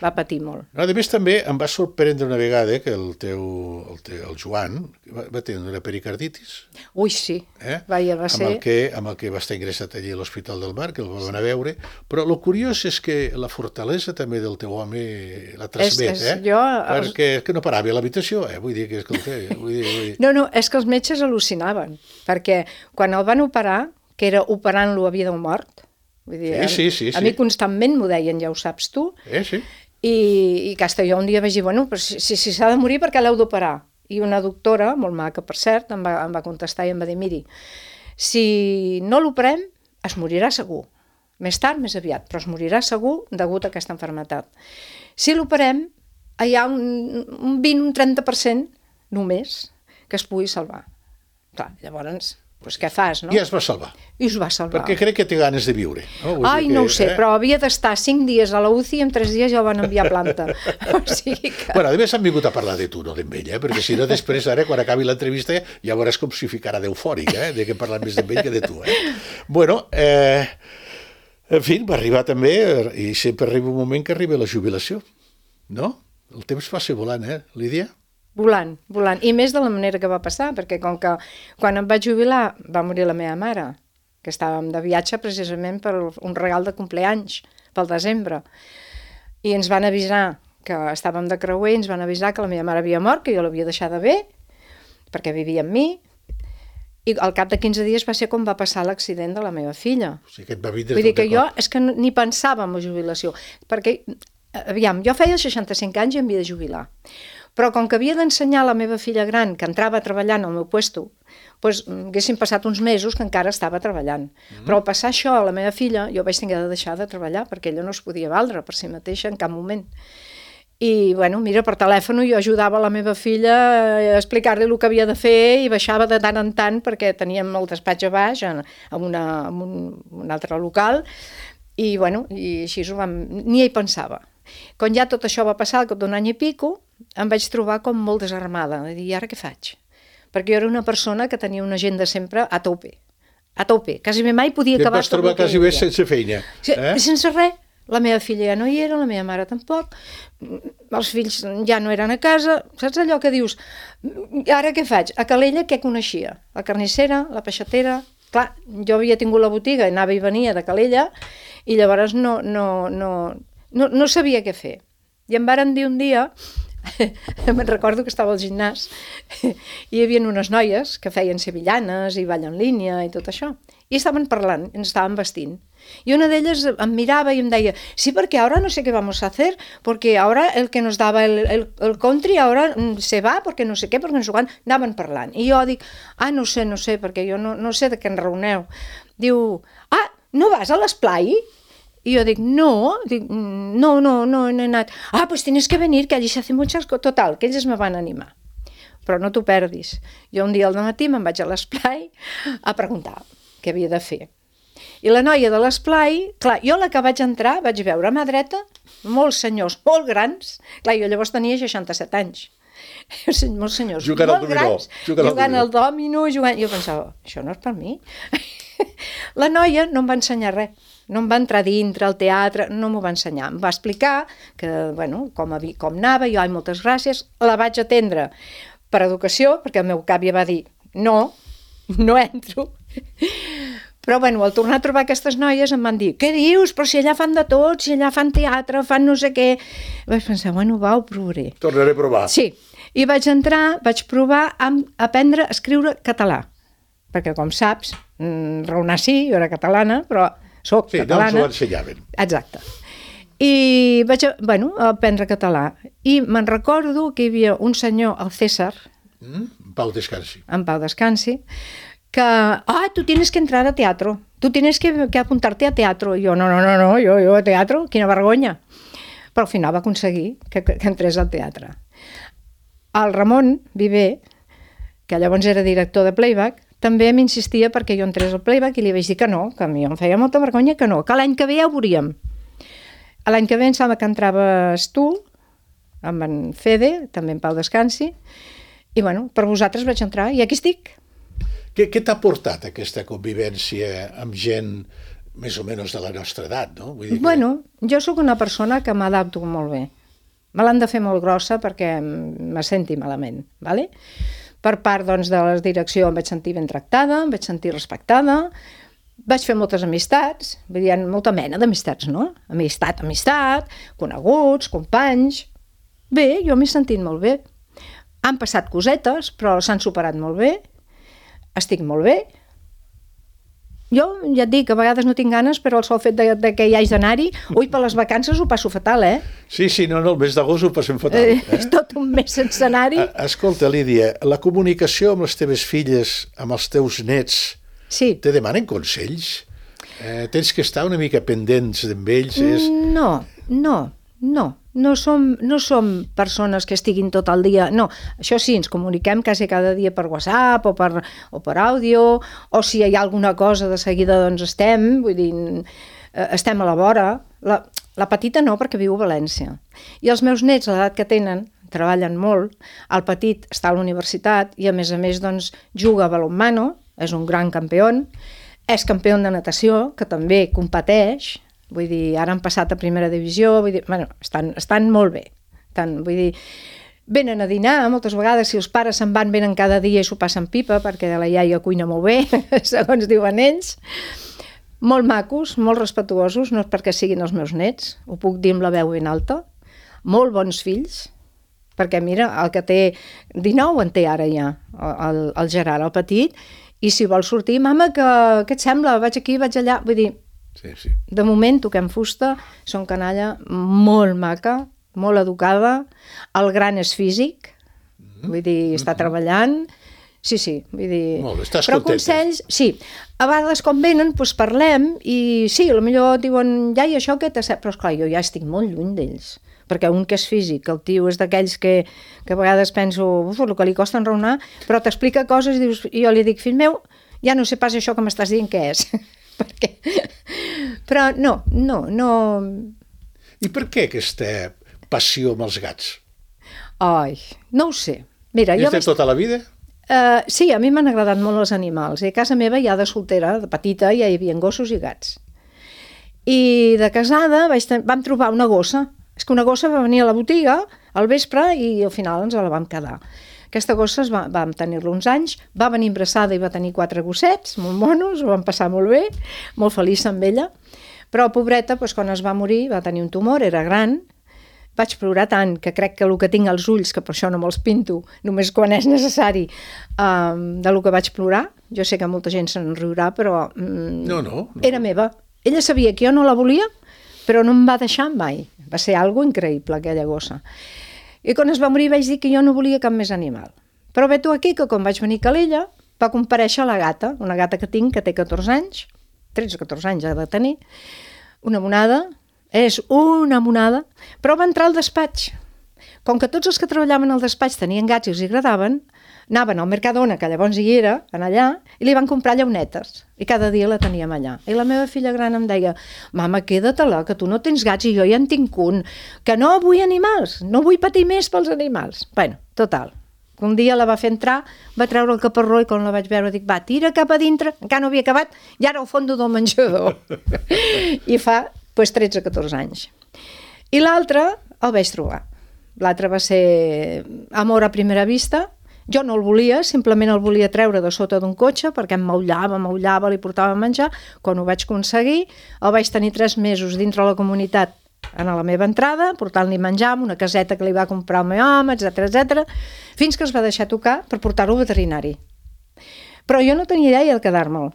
Va patir molt. A més, també em va sorprendre una vegada que el teu, el, teu, el Joan va, va tenir una pericarditis. Ui, sí. Eh? Vaja, va ser... Amb el, que, amb el que va estar ingressat allí a l'Hospital del Mar, que el van a veure. Però el curiós és que la fortalesa també del teu home la transmet, És- és- eh? jo- Perquè és que no parava a l'habitació, eh? Vull dir que, escolta, vull dir... Vull dir... No, no, és que els metges al·lucinaven, perquè quan el van operar, que era operant-lo a vida o mort, vull dir, Sí, sí, sí, a sí. mi constantment m'ho deien, ja ho saps tu, Eh, sí? i, i que hasta jo un dia vaig dir, bueno, però si s'ha si, si de morir, per què l'heu d'operar? I una doctora, molt maca per cert, em va, em va contestar i em va dir, miri, si no l'operem, es morirà segur. Més tard, més aviat, però es morirà segur degut a aquesta malaltia. Si l'operem, hi ha un, un vint, un trenta per cent només que es pugui salvar. Clar, llavors, doncs què fas, no? I es va salvar. I es va salvar. Perquè crec que té ganes de viure. No? Vull Ai, dir que, no ho sé, eh? però havia d'estar cinc dies a la U C I i en tres dies ja ho van enviar a planta. O sigui que... Bueno, a més han vingut a parlar de tu, no d'ell, eh? Perquè si no després, ara, quan acabi l'entrevista, ja veuràs com si ficarà d'eufòric, eh? De que parlant més d'ell que de tu, eh? Bueno, eh... en fi, va arribar també, i sempre arriba un moment que arriba la jubilació, no? El temps passa volant, eh, Lídia? Volant, volant. I més de la manera que va passar, perquè com que quan em vaig jubilar va morir la meva mare, que estàvem de viatge precisament per un regal de compleanys, pel desembre. I ens van avisar que estàvem de creuer, ens van avisar que la meva mare havia mort, que jo l'havia deixada bé, perquè vivia amb mi, i al cap de quinze dies va ser com va passar l'accident de la meva filla. O sigui, que et va vindre Vull dir tot que de jo cop. és que no- ni pensava en la jubilació, perquè, aviam, jo feia seixanta-cinc anys i em havia de jubilar, però com que havia d'ensenyar a la meva filla gran, que entrava a treballar en el meu puesto, doncs haguessin passat uns mesos que encara estava treballant. Mm. Però al passar això a la meva filla, jo vaig tenir de deixar de treballar, perquè ella no es podia valdre per si mateixa en cap moment. I, bueno, mira, per telèfon jo ajudava la meva filla a explicar-li el que havia de fer i baixava de tant en tant perquè teníem el despatx a baix en, en, una, en un, un altre local i, bueno, i així ho vam... ni hi pensava. Quan ja tot això va passar, al cap d'un any i pico, em vaig trobar com molt desarmada, de dir, i ara què faig? Perquè jo era una persona que tenia una agenda sempre a tope, a tope, quasi mai podia I et acabar vas trobar tot el que quasi bé volia. sense feina. Sí, Eh? sense res. La meva filla ja no hi era, la meva mare tampoc, els fills ja no eren a casa, saps allò que dius, ara què faig? A Calella què coneixia? La carnissera, la peixatera... Clar, jo havia tingut la botiga, anava i venia de Calella, i llavors no, no, no, no, no sabia què fer. I em varen dir un dia, me'n recordo que estava al gimnàs, i hi havia unes noies que feien sevillanes i ball en línia i tot això, i estaven parlant, ens estaven vestint. Y una de ellas em miraba y em deia, sí, porque ahora no sé qué vamos a hacer, porque ahora el que nos daba el, el, el country ahora se va, porque no sé què, perquè no sé quan, anaven parlant. I jo dic, ah, no sé, no sé, perquè jo no, no sé de què en reuneu. Diu, ah, no vas a l'esplai? Y yo digo, no, dic, no, no, no, no he anat. Ah, pues tienes que venir, que allí se hace muchas cosas. Total, que ells me van animar. Però no t'ho perdis. Jo un dia al matí me'n vaig a l'esplai a preguntar què havia de fer. I la noia de l'esplai, clar, jo la que vaig entrar vaig veure a mà dreta molts senyors molt grans, clar, jo llavors tenia seixanta-set anys, molts senyors Jugant al molt dominó, grans, jugant al jugant dominó. al dòmino, jugant... Jo pensava, això no és per mi. La noia no em va ensenyar res, no em va entrar dintre al teatre, no m'ho va ensenyar. Em va explicar que, bueno, com, havia, com anava, jo, ai, moltes gràcies, la vaig atendre per educació, perquè el meu cap ja va dir, no, no entro. Però, bueno, al tornar a trobar aquestes noies em van dir, què dius? Però si allà fan de tot, si allà fan teatre, fan no sé què... Vaig pensar, bueno, va, ho provaré. Tornaré a provar. Sí, i vaig entrar, vaig provar a aprendre a escriure català, perquè, com saps, mm, raonar sí, jo era catalana, però soc Sí, catalana. no ens ho ensenyaven. Exacte. I vaig, bueno, a aprendre català. I me'n recordo que hi havia un senyor, el César, Mm? En pau descansi. En pau descansi, que, ah, tu tienes que entrar a teatro, tu tienes que, que apuntarte a teatro. I jo, no, no, no, no, jo, jo a teatro, quina vergonya. Però al final va aconseguir que, que entrés al teatre. El Ramon Viver, que llavors era director de Playback, també m'insistia perquè jo entrés al Playback i li vaig dir que no, que a mi em feia molta vergonya que no, que l'any que ve ja ho veuríem. L'any que ve em sembla que entraves tu, amb en Fede, també en pau descansi, i bueno, per vosaltres vaig entrar i aquí estic. Què, què t'ha portat aquesta convivència amb gent més o menys de la nostra edat, no? Vull dir que... Bueno, jo sóc una persona que m'adapto molt bé. Me l'han de fer molt grossa perquè me senti malament, ¿vale? Per part doncs, de la direcció em vaig sentir ben tractada, em vaig sentir respectada, vaig fer moltes amistats, vull dir, hi ha molta mena d'amistats, no? Amistat, amistat, coneguts, companys... Bé, jo m'he sentit molt bé. Han passat cosetes, però s'han superat molt bé, estic molt bé. Jo ja et dic, a vegades no tinc ganes, però el sol fet de, de que hi hagi d'anar-hi, ui, per les vacances ho passo fatal, eh? Sí, sí, no, no, el mes d'agost ho passem fatal. Eh, eh? És tot un mes sense anar-hi. Escolta, Lídia, la comunicació amb les teves filles, amb els teus nets, sí. Te demanen consells? Eh, tens que estar una mica pendents amb ells? És... No, no, no. No som, no som persones que estiguin tot el dia... No, això sí, ens comuniquem quasi cada dia per WhatsApp o per, o per àudio, o si hi ha alguna cosa de seguida doncs estem, vull dir, estem a la vora. La, la petita no, perquè viu a València. I els meus nets, a l'edat que tenen, treballen molt. El petit està a la universitat i a més a més doncs, juga a balonmano, és un gran campió, és campió de natació, que també competeix. Vull dir, ara han passat a primera divisió, vull dir, bueno, estan, estan molt bé. Estan, vull dir, venen a dinar, moltes vegades, si els pares se'n van, venen cada dia i s'ho passen pipa, perquè la iaia cuina molt bé, segons diuen ells. Molt macos, molt respetuosos, no és perquè siguin els meus nets, ho puc dir amb la veu ben alta. Molt bons fills, perquè mira, el que té dinou en té ara ja, el, el Gerard, el petit, i si vol sortir, mama, que, què et sembla? Vaig aquí, vaig allà, vull dir, sí, sí. De moment toquem fusta, són canalla molt maca, molt educada, el gran és físic, mm-hmm. vull dir, està mm-hmm. treballant, sí, sí, vull dir... Molt bé, estàs però contenta. Consells, sí, a vegades quan venen doncs parlem i sí, potser diuen, ja i això què t'ha... Però esclar, jo ja estic molt lluny d'ells, perquè un que és físic, el tio és d'aquells que, que a vegades penso, uf, el que li costa enraonar, però t'explica coses i, dius, i jo li dic, fill meu, ja no sé pas això que m'estàs dient què és. Perquè... Però no, no, no... I per què aquesta passió amb els gats? Ai, no ho sé. Mira, és jo de vaig... tota la vida? Uh, sí, a mi m'han agradat molt els animals. I a casa meva ja de soltera, de petita, ja hi havia gossos i gats. I de casada vaig ten... vam trobar una gossa. És que una gossa va venir a la botiga al vespre i al final ens la vam quedar. Aquesta gossa va, vam tenir-la uns anys, va venir embarassada i va tenir quatre gossets, molt monos, ho vam passar molt bé, molt feliç amb ella, però pobreta, doncs, quan es va morir, va tenir un tumor, era gran, vaig plorar tant que crec que el que tinc als ulls, que per això no me'ls pinto, només quan és necessari, um, de lo que vaig plorar, jo sé que molta gent se'n riurà, però um, no, no, no. Era meva. Ella sabia que jo no la volia, però no em va deixar mai. Va ser algo increïble, aquella gossa. I quan es va morir vaig dir que jo no volia cap més animal. Però ve tu aquí que quan vaig venir a Calella va comparèixer la gata, una gata que tinc que té catorze anys, tretze o catorze anys ha de tenir, una monada, és una monada, però va entrar al despatx. Com que tots els que treballaven al despatx tenien gats i els agradaven, anaven al Mercadona, que llavors hi era, en allà, i li van comprar llaunetes. I cada dia la teníem allà. I la meva filla gran em deia, mama, queda-te-la, que tu no tens gats i jo ja en tinc un, que no vull animals, no vull patir més pels animals. Bueno, total. Un dia la va fer entrar, va treure el caparró i quan la vaig veure dic, va, tira cap a dintre, encara no havia acabat, i ara al fons del menjador. I fa pues, tretze o catorze anys. I l'altre el vaig trobar. L'altre va ser amor a primera vista. Jo no el volia, simplement el volia treure de sota d'un cotxe perquè em maullava, maullava, li portava a menjar. Quan ho vaig aconseguir, el vaig tenir tres mesos dintre la comunitat a la meva entrada, portant-li menjar amb una caseta que li va comprar el meu home, etcètera, etcètera, fins que es va deixar tocar per portar-lo al veterinari. Però jo no tenia idea de quedar-me'l.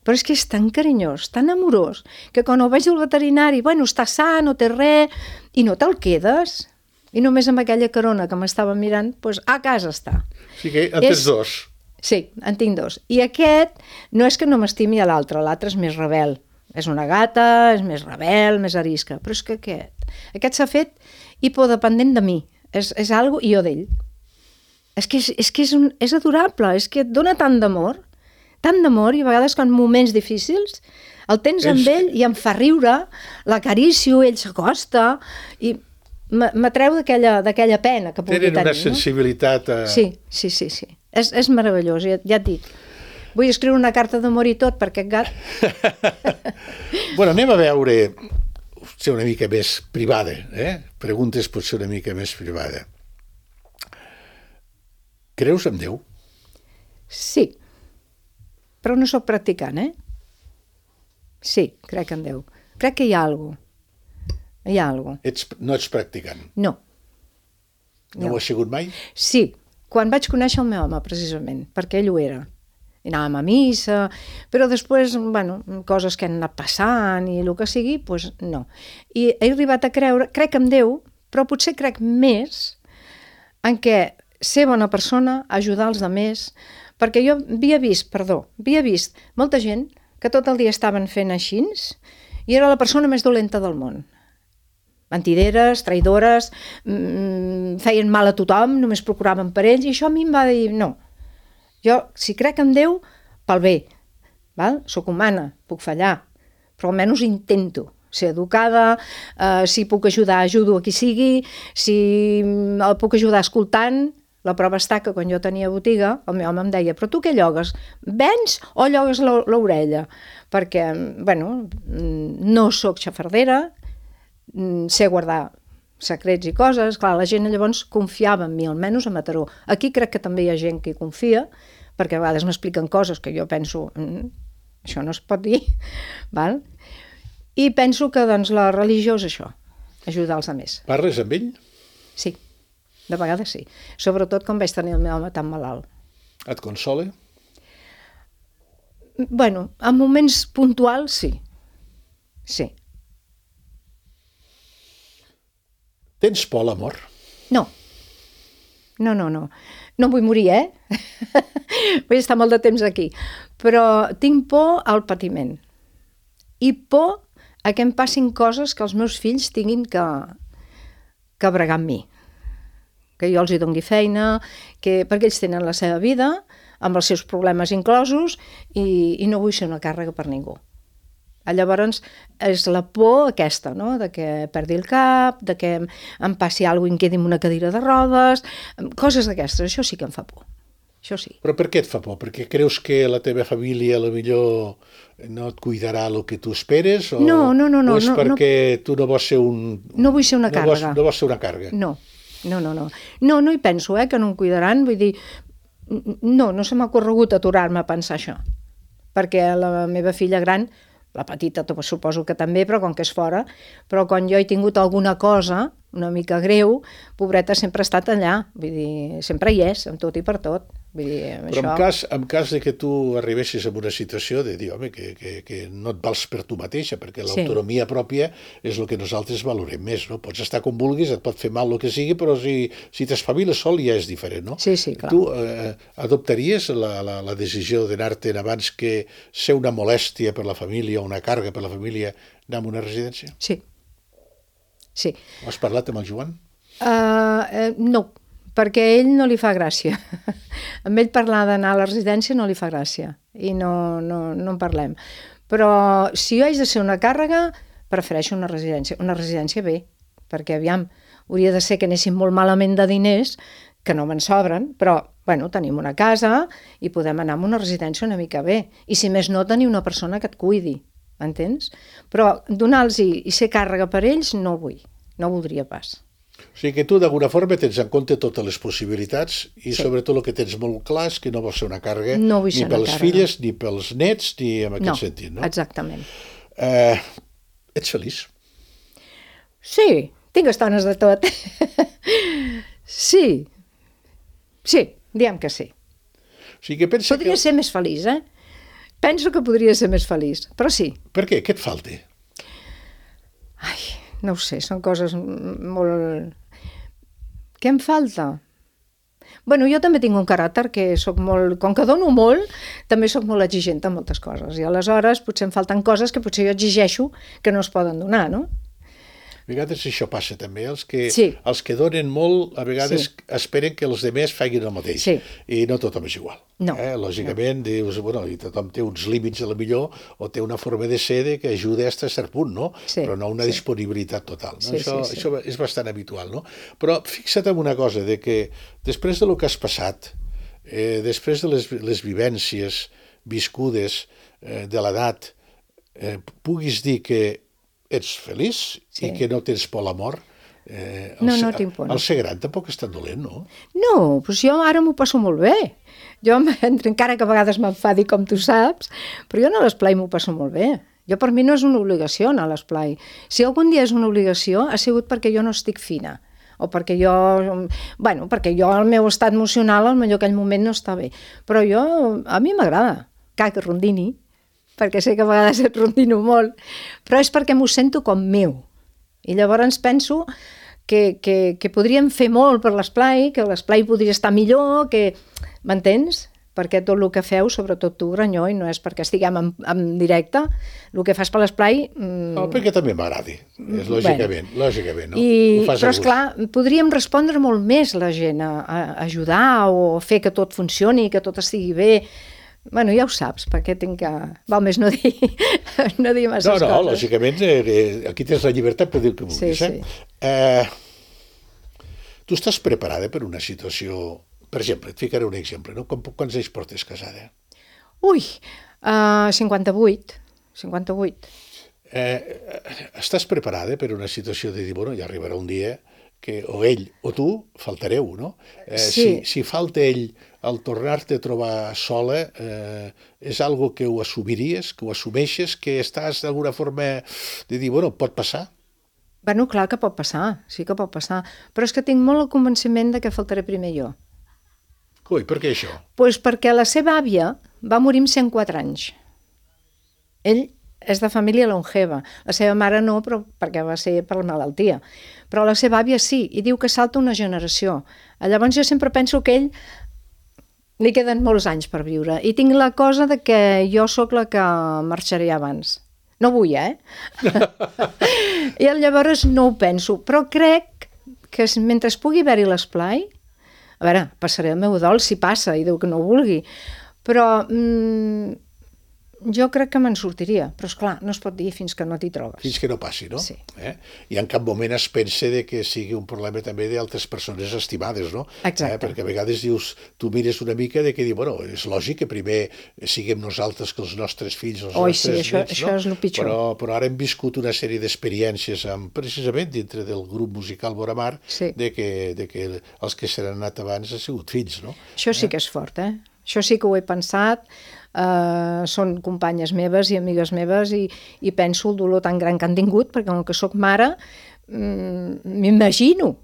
Però és que és tan carinyós, tan amorós, que quan el veig al veterinari, bueno, està sa, no té res, i no te'l quedes. I només amb aquella carona que m'estava mirant, doncs a casa està. O sigui que en tens dos. Sí, en tinc dos. I aquest no és que no m'estimi a l'altre, l'altre és més rebel. És una gata, és més rebel, més arisca, però és que aquest, aquest s'ha fet hipodependent de mi. És, és algo i jo d'ell. És que, és, és, que és, un, és adorable, és que et dona tant d'amor, tant d'amor, i a vegades quan en moments difícils el tens amb ell i em fa riure, l'acaricio, ell s'acosta i m'atreu d'aquella pena que pugui tenir. Tenen una sensibilitat... A... Sí, sí, sí, sí. És, és meravellós, ja, ja et dic. Vull escriure una carta d'amor i tot per aquest gat. Bueno, anem a veure, potser una mica més privada, eh? Preguntes potser una mica més privada. Creus en Déu? Sí, però no sóc practicant, eh? Sí, crec en Déu. Crec que hi ha alguna cosa. Hi ha alguna cosa. Ets, no ets practicant? No. No, no ho has sigut mai? Sí, quan vaig conèixer el meu home, precisament, perquè ell ho era. I anàvem a missa, però després, bueno, coses que han anat passant i el que sigui, doncs no. I he arribat a creure, crec en Déu, però potser crec més en què ser bona persona, ajudar els altres, perquè jo havia vist, perdó, havia vist molta gent que tot el dia estaven fent així i era la persona més dolenta del món. Mentideres, traïdores, mmm, feien mal a tothom, només procuraven per ells, i això a mi em va dir, no, jo, si crec en Déu, pel bé, val? Soc humana, puc fallar, però almenys intento ser educada, eh, si puc ajudar, ajudo a qui sigui, si el puc ajudar escoltant. La prova està que quan jo tenia botiga, el meu home em deia, però tu què llogues? Vens o llogues l'orella? Perquè, bueno, no sóc xafardera, sé guardar secrets i coses, clar, la gent llavors confiava en mi, almenys a Mataró. Aquí crec que també hi ha gent que hi confia, perquè a vegades m'expliquen coses que jo penso, mm, això no es pot dir, val? I penso que doncs, la religió és això, ajudar els altres. Parles amb ell? Sí, de vegades sí, sobretot quan vaig tenir el meu home tan malalt. Et consola? Bueno, en moments puntuals sí, sí. Tens por a la mort? No. No, no, no. No vull morir, eh? Vull estar molt de temps aquí. Però tinc por al patiment. I por a que em passin coses que els meus fills tinguin que, que bregar amb mi. Que jo els hi doni feina, que, perquè ells tenen la seva vida, amb els seus problemes inclosos, i, i no vull ser una càrrega per ningú. Llavors és la por aquesta, no? De que perdi el cap, de que em passi alguna cosa i em quedi amb una cadira de rodes, coses d'aquestes, això sí que em fa por, això sí. Però per què et fa por? Perquè creus que la teva família potser no et cuidarà el que tu esperes? O, no, no, no, no. O és no, perquè no, tu no vols ser un... No vull ser una no càrrega. Vols, no vols ser una càrrega. No, no, no, no. No, no hi penso, eh, que no em cuidaran, vull dir, no, no se m'ha corregut aturar-me a pensar això, perquè la meva filla gran, la petita suposo que també, però com que és fora, però quan jo he tingut alguna cosa una mica greu, pobreta sempre ha estat allà, vull dir, sempre hi és, amb tot i per tot. Vull dir, però això... en cas, en cas de que tu arribessis a una situació de dir, home, que, que, que no et vals per tu mateixa, perquè l'autonomia sí. pròpia és el que nosaltres valorem més, no? Pots estar com vulguis, et pot fer mal el que sigui, però si, si t'espaviles sol ja és diferent, no? Sí, sí, clar. Tu eh, adoptaries la, la, la decisió d'anar-te'n abans que ser una molèstia per la família, una càrrega per la família, anar a una residència? Sí. Sí. Ho has parlat amb el Joan? Uh, uh, no, perquè a ell no li fa gràcia. Amb ell parlar d'anar a la residència no li fa gràcia i no, no, no en parlem. Però si jo haig de ser una càrrega, prefereixo una residència. Una residència bé, perquè aviam, hauria de ser que anéssim molt malament de diners, que no me'n sobren, però bueno, tenim una casa i podem anar a una residència una mica bé. I si més no, tenir una persona que et cuidi. Entens? Però donar-los i, i ser càrrega per ells no ho vull, no ho voldria pas. O sigui que tu d'alguna forma tens en compte totes les possibilitats i sí. sobretot el que tens molt clar és que no vols ser una càrrega no ni per les filles, ni pels nets, ni en aquest no, sentit, no? Exactament. Eh, ets feliç? Sí, tinc estones de tot. Sí, sí, diem que sí. O sigui que pensa Podria que... ser més feliç, eh? Penso que podria ser més feliç, però sí. Per què? Què et falta? Ai, no ho sé, són coses molt... Què em falta? Bueno, jo també tinc un caràcter que soc molt... Com que dono molt, també soc molt exigent en moltes coses. I aleshores potser em falten coses que potser jo exigeixo que no es poden donar, no? A vegades això passa també, els que, sí. els que donen molt a vegades sí. esperen que els demés facin el mateix, sí. i no tothom és igual. No. Eh? Lògicament, no. dius, bueno, i tothom té uns límits a la millor, o té una forma de ser que ajuda fins a cert punt, no? Sí. Però no una sí. disponibilitat total. No? Sí, això, sí, sí. això és bastant habitual, no? Però fixa't en una cosa, de que després de lo que has passat, eh, després de les, les vivències viscudes eh, de l'edat, eh, puguis dir que ets feliç sí. i que no tens por a la mort. Eh, no, no tinc por. El ser gran tampoc és tan dolent, no? No, doncs jo ara m'ho passo molt bé. Jo, encara que a vegades m'enfadi, com tu saps, però jo a l'esplai m'ho passo molt bé. Jo, per mi no és una obligació anar a l'esplai. Si algun dia és una obligació, ha sigut perquè jo no estic fina. O perquè jo... Bueno, perquè jo, el meu estat emocional, al millor aquell moment no està bé. Però jo, a mi m'agrada. Cal que rondini, perquè sé que a vegades et rondino molt, però és perquè m'ho sento com meu. I llavors penso que, que, que podríem fer molt per l'esplai, que l'esplai podria estar millor, que... M'entens? Perquè tot el que feu, sobretot tu, Granyó, i no és perquè estiguem en, en directe, el que fas per l'esplai... Mmm... No, perquè també m'agradi, és lògicament, bueno. lògicament, no? I, però, esclar, podríem respondre molt més la gent, a, a ajudar o fer que tot funcioni, que tot estigui bé. Bueno, ja ho saps, perquè tinc que... Val més no dir, no dir masses no, no, coses. No, lògicament, eh, aquí tens la llibertat per dir el que vulguis. Sí, sí. Eh? Eh, tu estàs preparada per una situació... Per exemple, et ficaré un exemple, no? Quants anys portes casada? Ui, uh, cinquanta-vuit. cinquanta-vuit. Eh, estàs preparada per una situació de dir, bueno, ja arribarà un dia que o ell o tu faltareu, no? Eh, sí. Si, si falta ell al tornar-te a trobar sola, eh, és algo que ho assumiries, que ho assumeixes, que estàs d'alguna forma de dir, bueno, pot passar? Bueno, clar que pot passar, sí que pot passar, però és que tinc molt el convenciment de que faltaré primer jo. Ui, per què això? Doncs pues perquè la seva àvia va morir amb cent quatre anys. Ell és de família longeva. La seva mare no, però perquè va ser per la malaltia. Però la seva àvia sí, i diu que salta una generació. Llavors jo sempre penso que ell li queden molts anys per viure. I tinc la cosa de que jo sóc la que marxaré abans. No vull, eh? I llavors no ho penso. Però crec que mentre es pugui haver-hi l'esplai, a veure, passaré el meu dol si passa, i Déu que no ho vulgui, però mmm, jo crec que me'n sortiria, però esclar, no es pot dir fins que no t'hi trobes. Fins que no passi, no? Sí. Eh? I en cap moment es pensa de que sigui un problema també d'altres persones estimades, no? Exacte. Eh? Perquè a vegades dius, tu mires una mica de que diu, bueno, és lògic que primer siguem nosaltres que els nostres fills, els Oi, nostres sí, això, nets, això no? és el pitjor. Però, però ara hem viscut una sèrie d'experiències amb, precisament dintre del grup musical Boramar, sí. de, que, de que els que s'han anat abans han sigut fills, no? Això sí que és fort, eh? Això sí que ho he pensat, uh, són companyes meves i amigues meves i, i penso el dolor tan gran que han tingut, perquè com que sóc mare, m'imagino.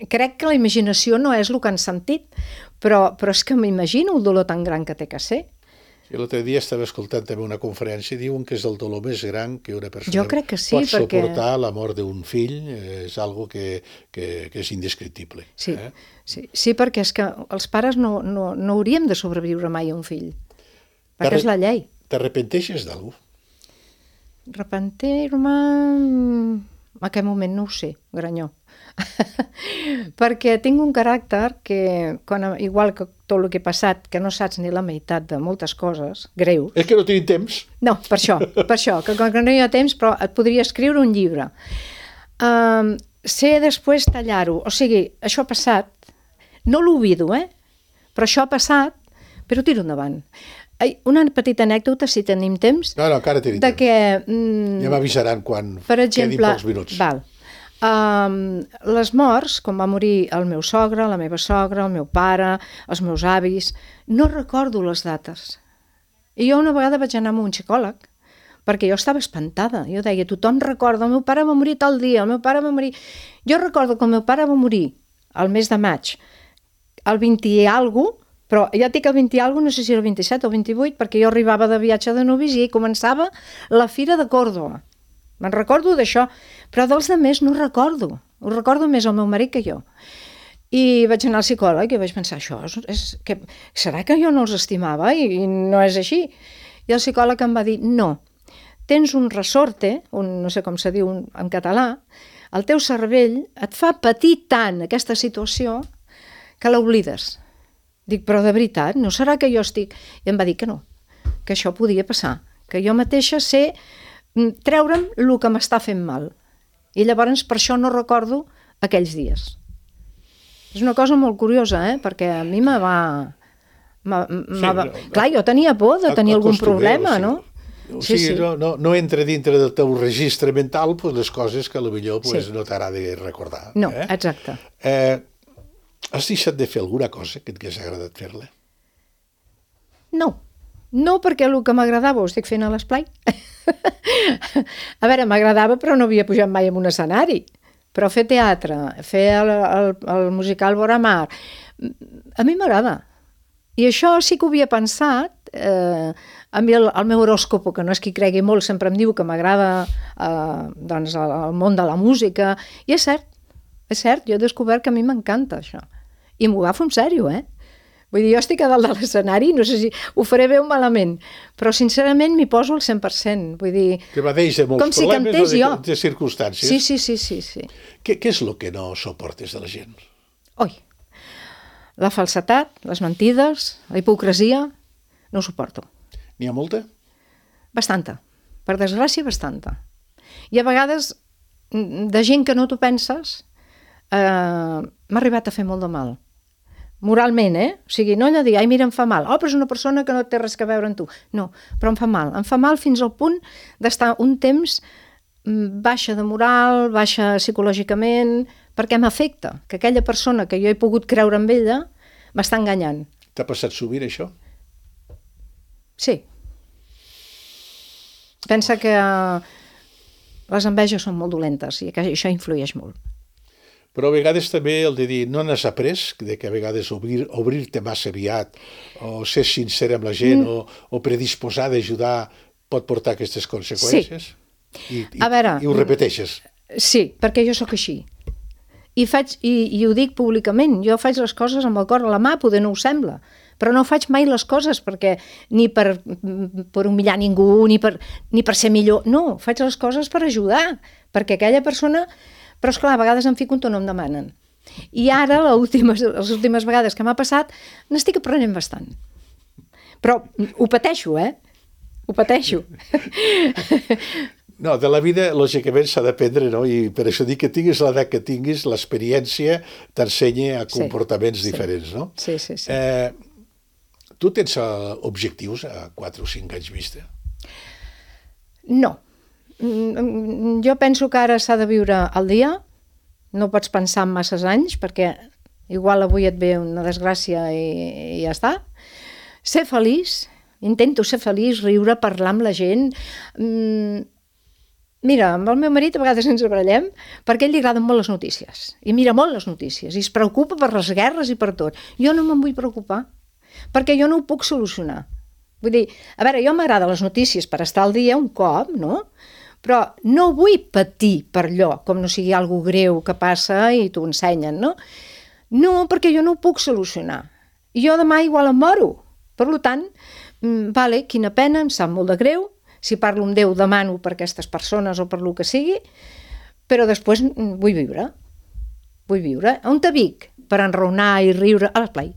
Crec que la imaginació no és el que han sentit, però, però és que m'imagino el dolor tan gran que té que ser. I l'altre dia estava escoltant també una conferència i diuen que és el dolor més gran que una persona jo crec que sí, pot perquè... suportar la mort d'un fill, és algo que, que, que és indescriptible. Sí, eh? sí, sí, perquè és que els pares no, no, no hauríem de sobreviure mai a un fill, perquè és la llei. T'arrepenteixes d'algú? Arrepentir-me... En aquest moment no ho sé, Granyó. Perquè tinc un caràcter que, quan, igual que tot el que he passat, que no saps ni la meitat de moltes coses, greu. És que no tenim temps. No, per això, per això, que quan no hi ha temps, però et podria escriure un llibre. Um, sé després tallar-ho, o sigui, això ha passat, no l'oblido, eh? Però això ha passat, però tiro endavant. Una petita anècdota, si tenim temps. No, no, encara tenim de temps. Que, mm, ja m'avisaran quan per exemple, quedin pocs minuts. Val. Um, les morts, quan va morir el meu sogre, la meva sogra, el meu pare, els meus avis, no recordo les dates. I jo una vegada vaig anar amb un psicòleg, perquè jo estava espantada. Jo deia, tothom recorda, el meu pare va morir tal dia, el meu pare va morir... Jo recordo que el meu pare va morir al mes de maig, el vint i alguna, però ja et dic el vint i alguna, no sé si era el vint-i-set o el vint-i-vuit, perquè jo arribava de viatge de novis i començava la Fira de Còrdova. Me'n recordo d'això, però dels altres no recordo. Ho recordo més el meu marit que jo. I vaig anar al psicòleg i vaig pensar, això és, és, que, serà que jo no els estimava i, i no és així? I el psicòleg em va dir, no, tens un ressorte, un, no sé com se diu en català, el teu cervell et fa patir tant aquesta situació que l'oblides. Dic, però de veritat, no serà que jo estic... I em va dir que no, que això podia passar, que jo mateixa sé treure'm el que m'està fent mal. I llavors per això no recordo aquells dies. És una cosa molt curiosa, eh? Perquè a mi me va... Me, me sí, va... No, clar, jo tenia por de tenir algun problema, no? O sigui, sí, sí. No, no, no entra dintre del teu registre mental pues, les coses que potser pues, sí. no t'agrada recordar. No, eh? exacte. Eh, has deixat de fer alguna cosa que et hagués agradat fer-la? No. No, perquè el que m'agradava ho estic fent a l'esplai. A veure, m'agradava, però no havia pujat mai en un escenari. Però fer teatre, fer el, el, el musical Vora Mar, a mi m'agrada. I això sí que ho havia pensat. Eh, a mi el, el meu horòscopo, que no és qui cregui molt, sempre em diu que m'agrada eh, doncs el, el món de la música. I és cert, és cert, jo he descobert que a mi m'encanta això. I m'ho agafo en sèrio, eh? Vull dir, jo estic a dalt de l'escenari, no sé si ho faré bé o malament, però sincerament m'hi poso al cent per cent. Vull dir, que evadeix de molts com si problemes cantés o de, jo. de circumstàncies. Sí, sí, sí, sí, sí. Què, què és el que no suportes de la gent? Oi, la falsetat, les mentides, la hipocresia, no ho suporto. N'hi ha molta? Bastanta, per desgràcia bastanta. I a vegades de gent que no t'ho penses eh, m'ha arribat a fer molt de mal. Moralment, eh? O sigui, no allò de dir, ai, mira, em fa mal. Oh, però és una persona que no té res a veure amb tu. No, però em fa mal. Em fa mal fins al punt d'estar un temps baixa de moral, baixa psicològicament, perquè m'afecta, que aquella persona que jo he pogut creure en ella m'està enganyant. T'ha passat sovint, això? Sí. Pensa que les enveges són molt dolentes i que això influeix molt. Però a vegades també el de dir, no n'has après, de que a vegades obrir, obrir-te massa aviat, o ser sincer amb la gent, mm. o, o predisposar d'ajudar, pot portar aquestes conseqüències? Sí. I, i, a veure, i ho repeteixes? Sí, perquè jo sóc així. I, faig, i, i ho dic públicament, jo faig les coses amb el cor a la mà, poder no ho sembla, però no faig mai les coses perquè ni per, per humillar ningú, ni per, ni per ser millor, no, faig les coses per ajudar, perquè aquella persona... Però, esclar, a vegades em fico on no em demanen. I ara, les últimes, les últimes vegades que m'ha passat, n'estic aprenent bastant. Però ho pateixo, eh? Ho pateixo. No, de la vida, lògicament, s'ha d'aprendre, no? I per això dic que tinguis l'edat que tinguis, l'experiència t'ensenya a comportaments sí, diferents, sí. no? Sí, sí, sí. Eh, tu tens objectius a quatre o cinc anys vista? No. Jo penso que ara s'ha de viure al dia, no pots pensar en masses anys, perquè igual avui et ve una desgràcia i, i ja està. Ser feliç, intento ser feliç, riure, parlar amb la gent. Mira, amb el meu marit a vegades ens barallem perquè a ell li agraden molt les notícies, i mira molt les notícies, i es preocupa per les guerres i per tot. Jo no me'n vull preocupar, perquè jo no ho puc solucionar. Vull dir, a veure, jo m'agraden les notícies per estar al dia un cop, no?, però no vull patir per allò, com no sigui alguna greu que passa i t'ho ensenyen, no? No, perquè jo no ho puc solucionar. I jo demà igual em moro. Per tant, vale, quina pena, em sap molt de greu, si parlo amb Déu demano per aquestes persones o per lo que sigui, però després vull viure. Vull viure. On te vic? Per enraonar i riure a l'esplai.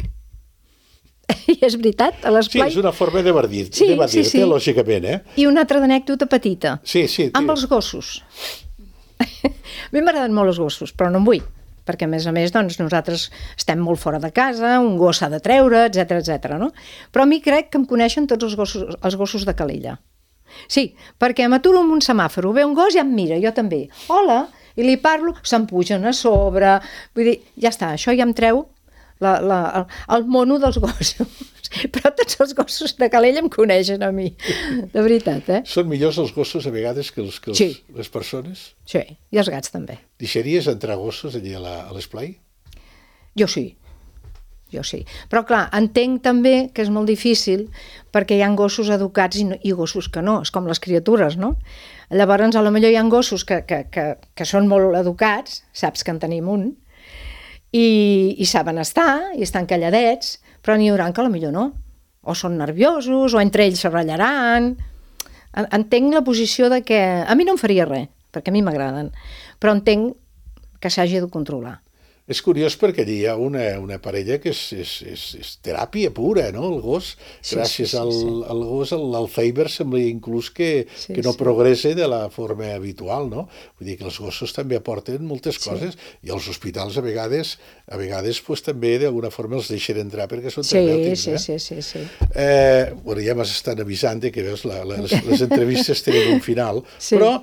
I és veritat, a l'esplai... Sí, és una forma de dir-te, sí, de dir-te, sí, sí. lògicament, eh? I una altra anècdota petita. Sí, sí. Amb els gossos. A mi m'agraden molt els gossos, però no en vull, perquè a més a més doncs, nosaltres estem molt fora de casa, un gos s'ha de treure, etcètera, etcètera, no? Però a mi crec que em coneixen tots els gossos, els gossos de Calella. Sí, perquè m'aturo en un semàfor, ve un gos i em mira, jo també. Hola, i li parlo, se'm pugen a sobre, vull dir, ja està, això ja em treu La, la, el, el mono dels gossos. Però tots els gossos de Calella em coneixen a mi, de veritat, eh? Són millors els gossos a vegades que, els, que els, sí. les persones? Sí, i els gats també. Deixaries entrar gossos allà a l'esplai? Jo sí, jo sí. Però clar, entenc també que és molt difícil perquè hi ha gossos educats i, no, i gossos que no, és com les criatures, no? Llavors, a lo millor hi ha gossos que, que, que, que són molt educats, saps que en tenim un, i, i saben estar, i estan calladets, però n'hi haurà que potser no. O són nerviosos, o entre ells se ratllaran. Entenc la posició de que... A mi no em faria res, perquè a mi m'agraden, però entenc que s'hagi de controlar. És curiós perquè hi ha una, una parella que és, és, és, és teràpia pura, no? El gos, sí, gràcies sí, sí, al, sí. al gos, l'Alzheimer sembla inclús que, sí, que no sí. progresse de la forma habitual, no? Vull dir que els gossos també aporten moltes coses sí. i els hospitals a vegades, a vegades pues, també d'alguna forma els deixen entrar perquè són sí, terapèutics. Sí, eh? sí, sí, sí. Eh, bueno, ja m'estan avisant que veus, la, la, les, les entrevistes tenen un final, sí. però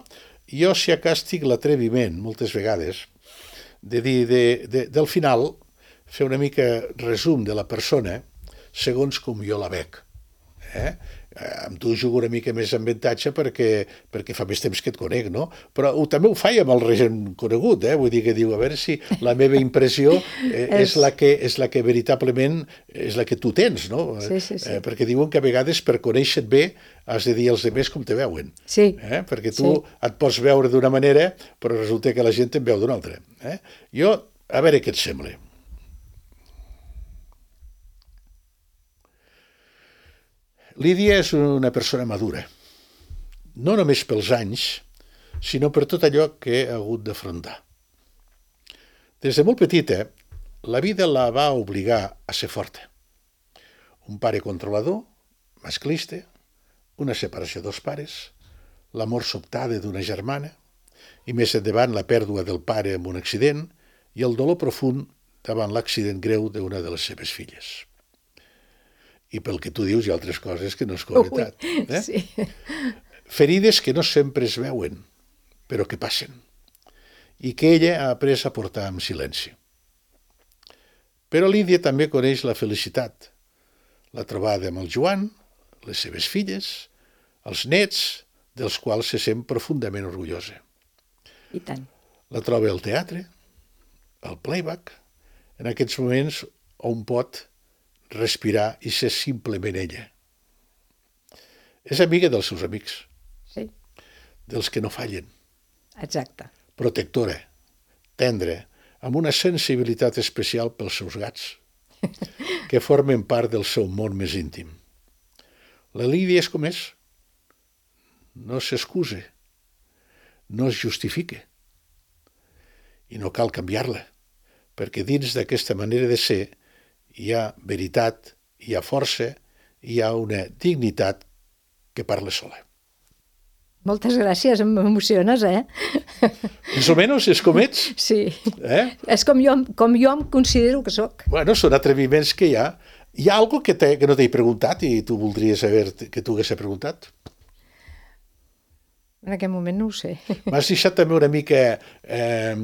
jo si acas tinc l'atreviment, moltes vegades, de dir, de, de, del final, fer una mica resum de la persona segons com jo la veig. Eh? Amb tu jugo una mica més en avantatge perquè, perquè fa més temps que et conec, no? Però ho, també ho faig amb el regent conegut, eh? Vull dir que diu, a veure si la meva impressió eh, és, la que, és la que veritablement és la que tu tens, no? Sí, sí, sí. Eh, perquè diuen que a vegades per conèixer-te bé has de dir als altres com te veuen. Sí. Eh? Perquè tu sí. et pots veure d'una manera, però resulta que la gent te'n veu d'una altra. Eh? Jo, a veure què et sembla. Lídia és una persona madura, no només pels anys, sinó per tot allò que ha hagut d'afrontar. Des de molt petita, la vida la va obligar a ser forta. Un pare controlador, masclista, una separació dels pares, la mort sobtada d'una germana, i més endavant la pèrdua del pare en un accident i el dolor profund davant l'accident greu d'una de les seves filles. I pel que tu dius hi ha altres coses que no és veritat. Eh? Sí. Ferides que no sempre es veuen, però que passen, i que ella ha après a portar amb silenci. Però Lídia també coneix la felicitat, la trobada amb el Joan, les seves filles, els nets, dels quals se sent profundament orgullosa. I tant. La troba al teatre, al playback, en aquests moments on pot respirar i ser simplement ella. És amiga dels seus amics. Sí. Dels que no fallen. Exacte. Protectora, tendra, amb una sensibilitat especial pels seus gats, que formen part del seu món més íntim. La Lídia és com és. No s'excusa. No es justifica. I no cal canviar-la, perquè dins d'aquesta manera de ser hi ha veritat, hi ha força, hi ha una dignitat que parla sola. Moltes gràcies, m'emociones, eh? Més o menys és com ets. Sí, eh? És com jo, com jo em considero que sóc. Bueno, són atreviments que hi ha. Hi ha alguna cosa que, que no t'he preguntat i tu voldries saber que tu hagués preguntat? En aquest moment no ho sé. M'has deixat també una mica eh,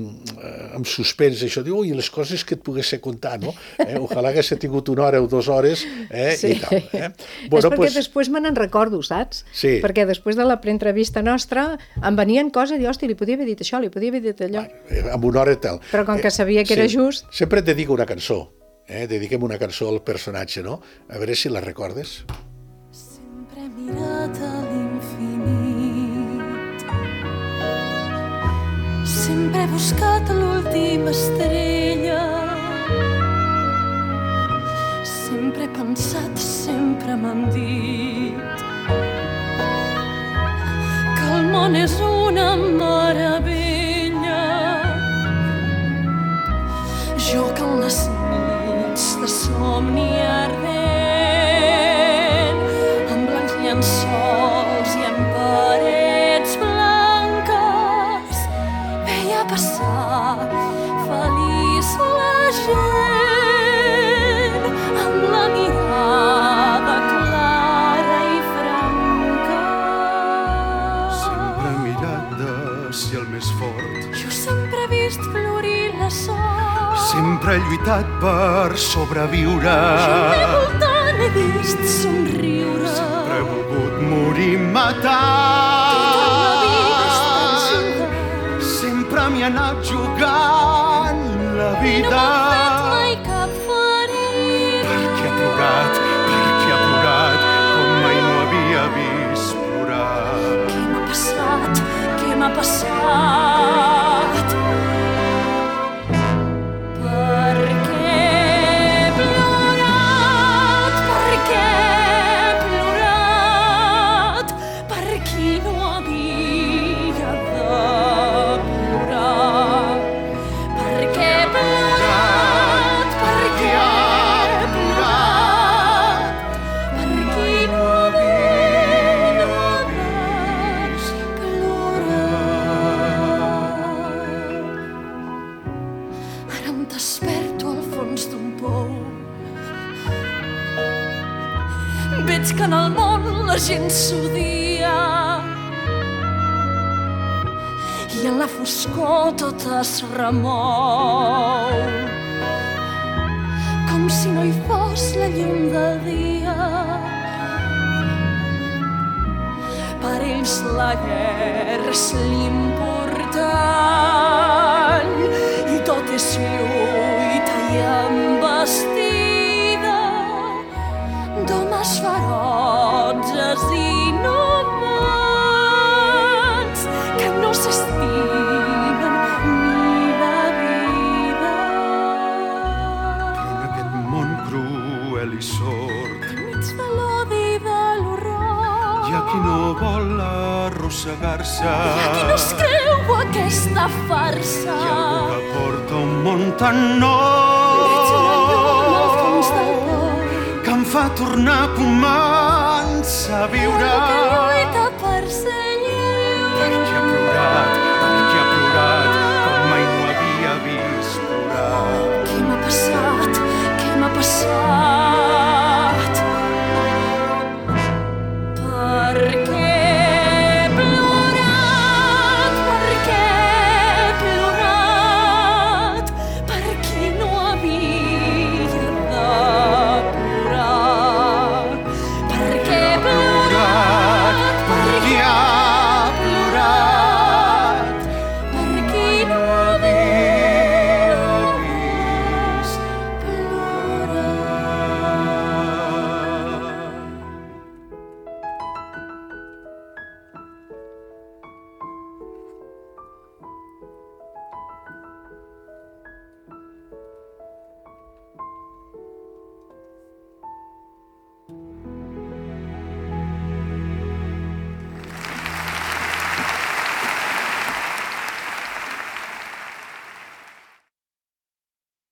amb suspens, això, diu, ui, les coses que et pogués contar, no? Eh? Ojalà hagués tingut una hora o dues hores, eh? Sí. I tal. Eh? Bueno, és perquè pues... després me n'en recordo, saps? Sí. Perquè després de la preentrevista nostra em venien coses i, hòstia, li podia haver dit això, li podia haver dit allò. Bueno, amb una hora i tal. Però com que sabia que eh, era sí. just... Sempre et dedico una cançó, eh? Dediquem una cançó al personatge, no? A veure si la recordes. Sempre he mirat a l'infinit, sempre he buscat l'última estrella, sempre he pensat, sempre m'han dit que el món és una meravella. Jo que en les nits de somni ardent, amb blancs llençols i en parets blanques, veia passar feliç la gent, amb la mirada clara i franca. Sempre he mirat d'ací el més fort, Jo sempre he vist florir la sort, sempre he lluitat per sobreviure. jo al meu voltant he vist somriure. Sempre he volgut morir matant. Tota la vida he estat jugant, Sempre m'hi ha anat jugant la no vida. m'ha fet mai cap ferida. Perquè ha plorat, perquè ha plorat, com mai no havia vist plorar. Què m'ha passat? Què m'ha passat? Per desperto al fons d'un pou. Veig que en el món la gent s'odia i en la foscor tot es remou, com si no hi fos la llum del dia. Per ells la guerra és l'important i tot és lluita i embestida d'homes ferotges i inhumans que no s'estimen ni la vida. Però en aquest món cruel i sord Enmig de l'odi i de l'horror hi ha qui no vol arrossegar-se, hi ha qui no es creu aquesta farsa. hi ha algú que porta un món tan Veig una llum al fons del nou cor que em fa tornar a començar a viure. que lluita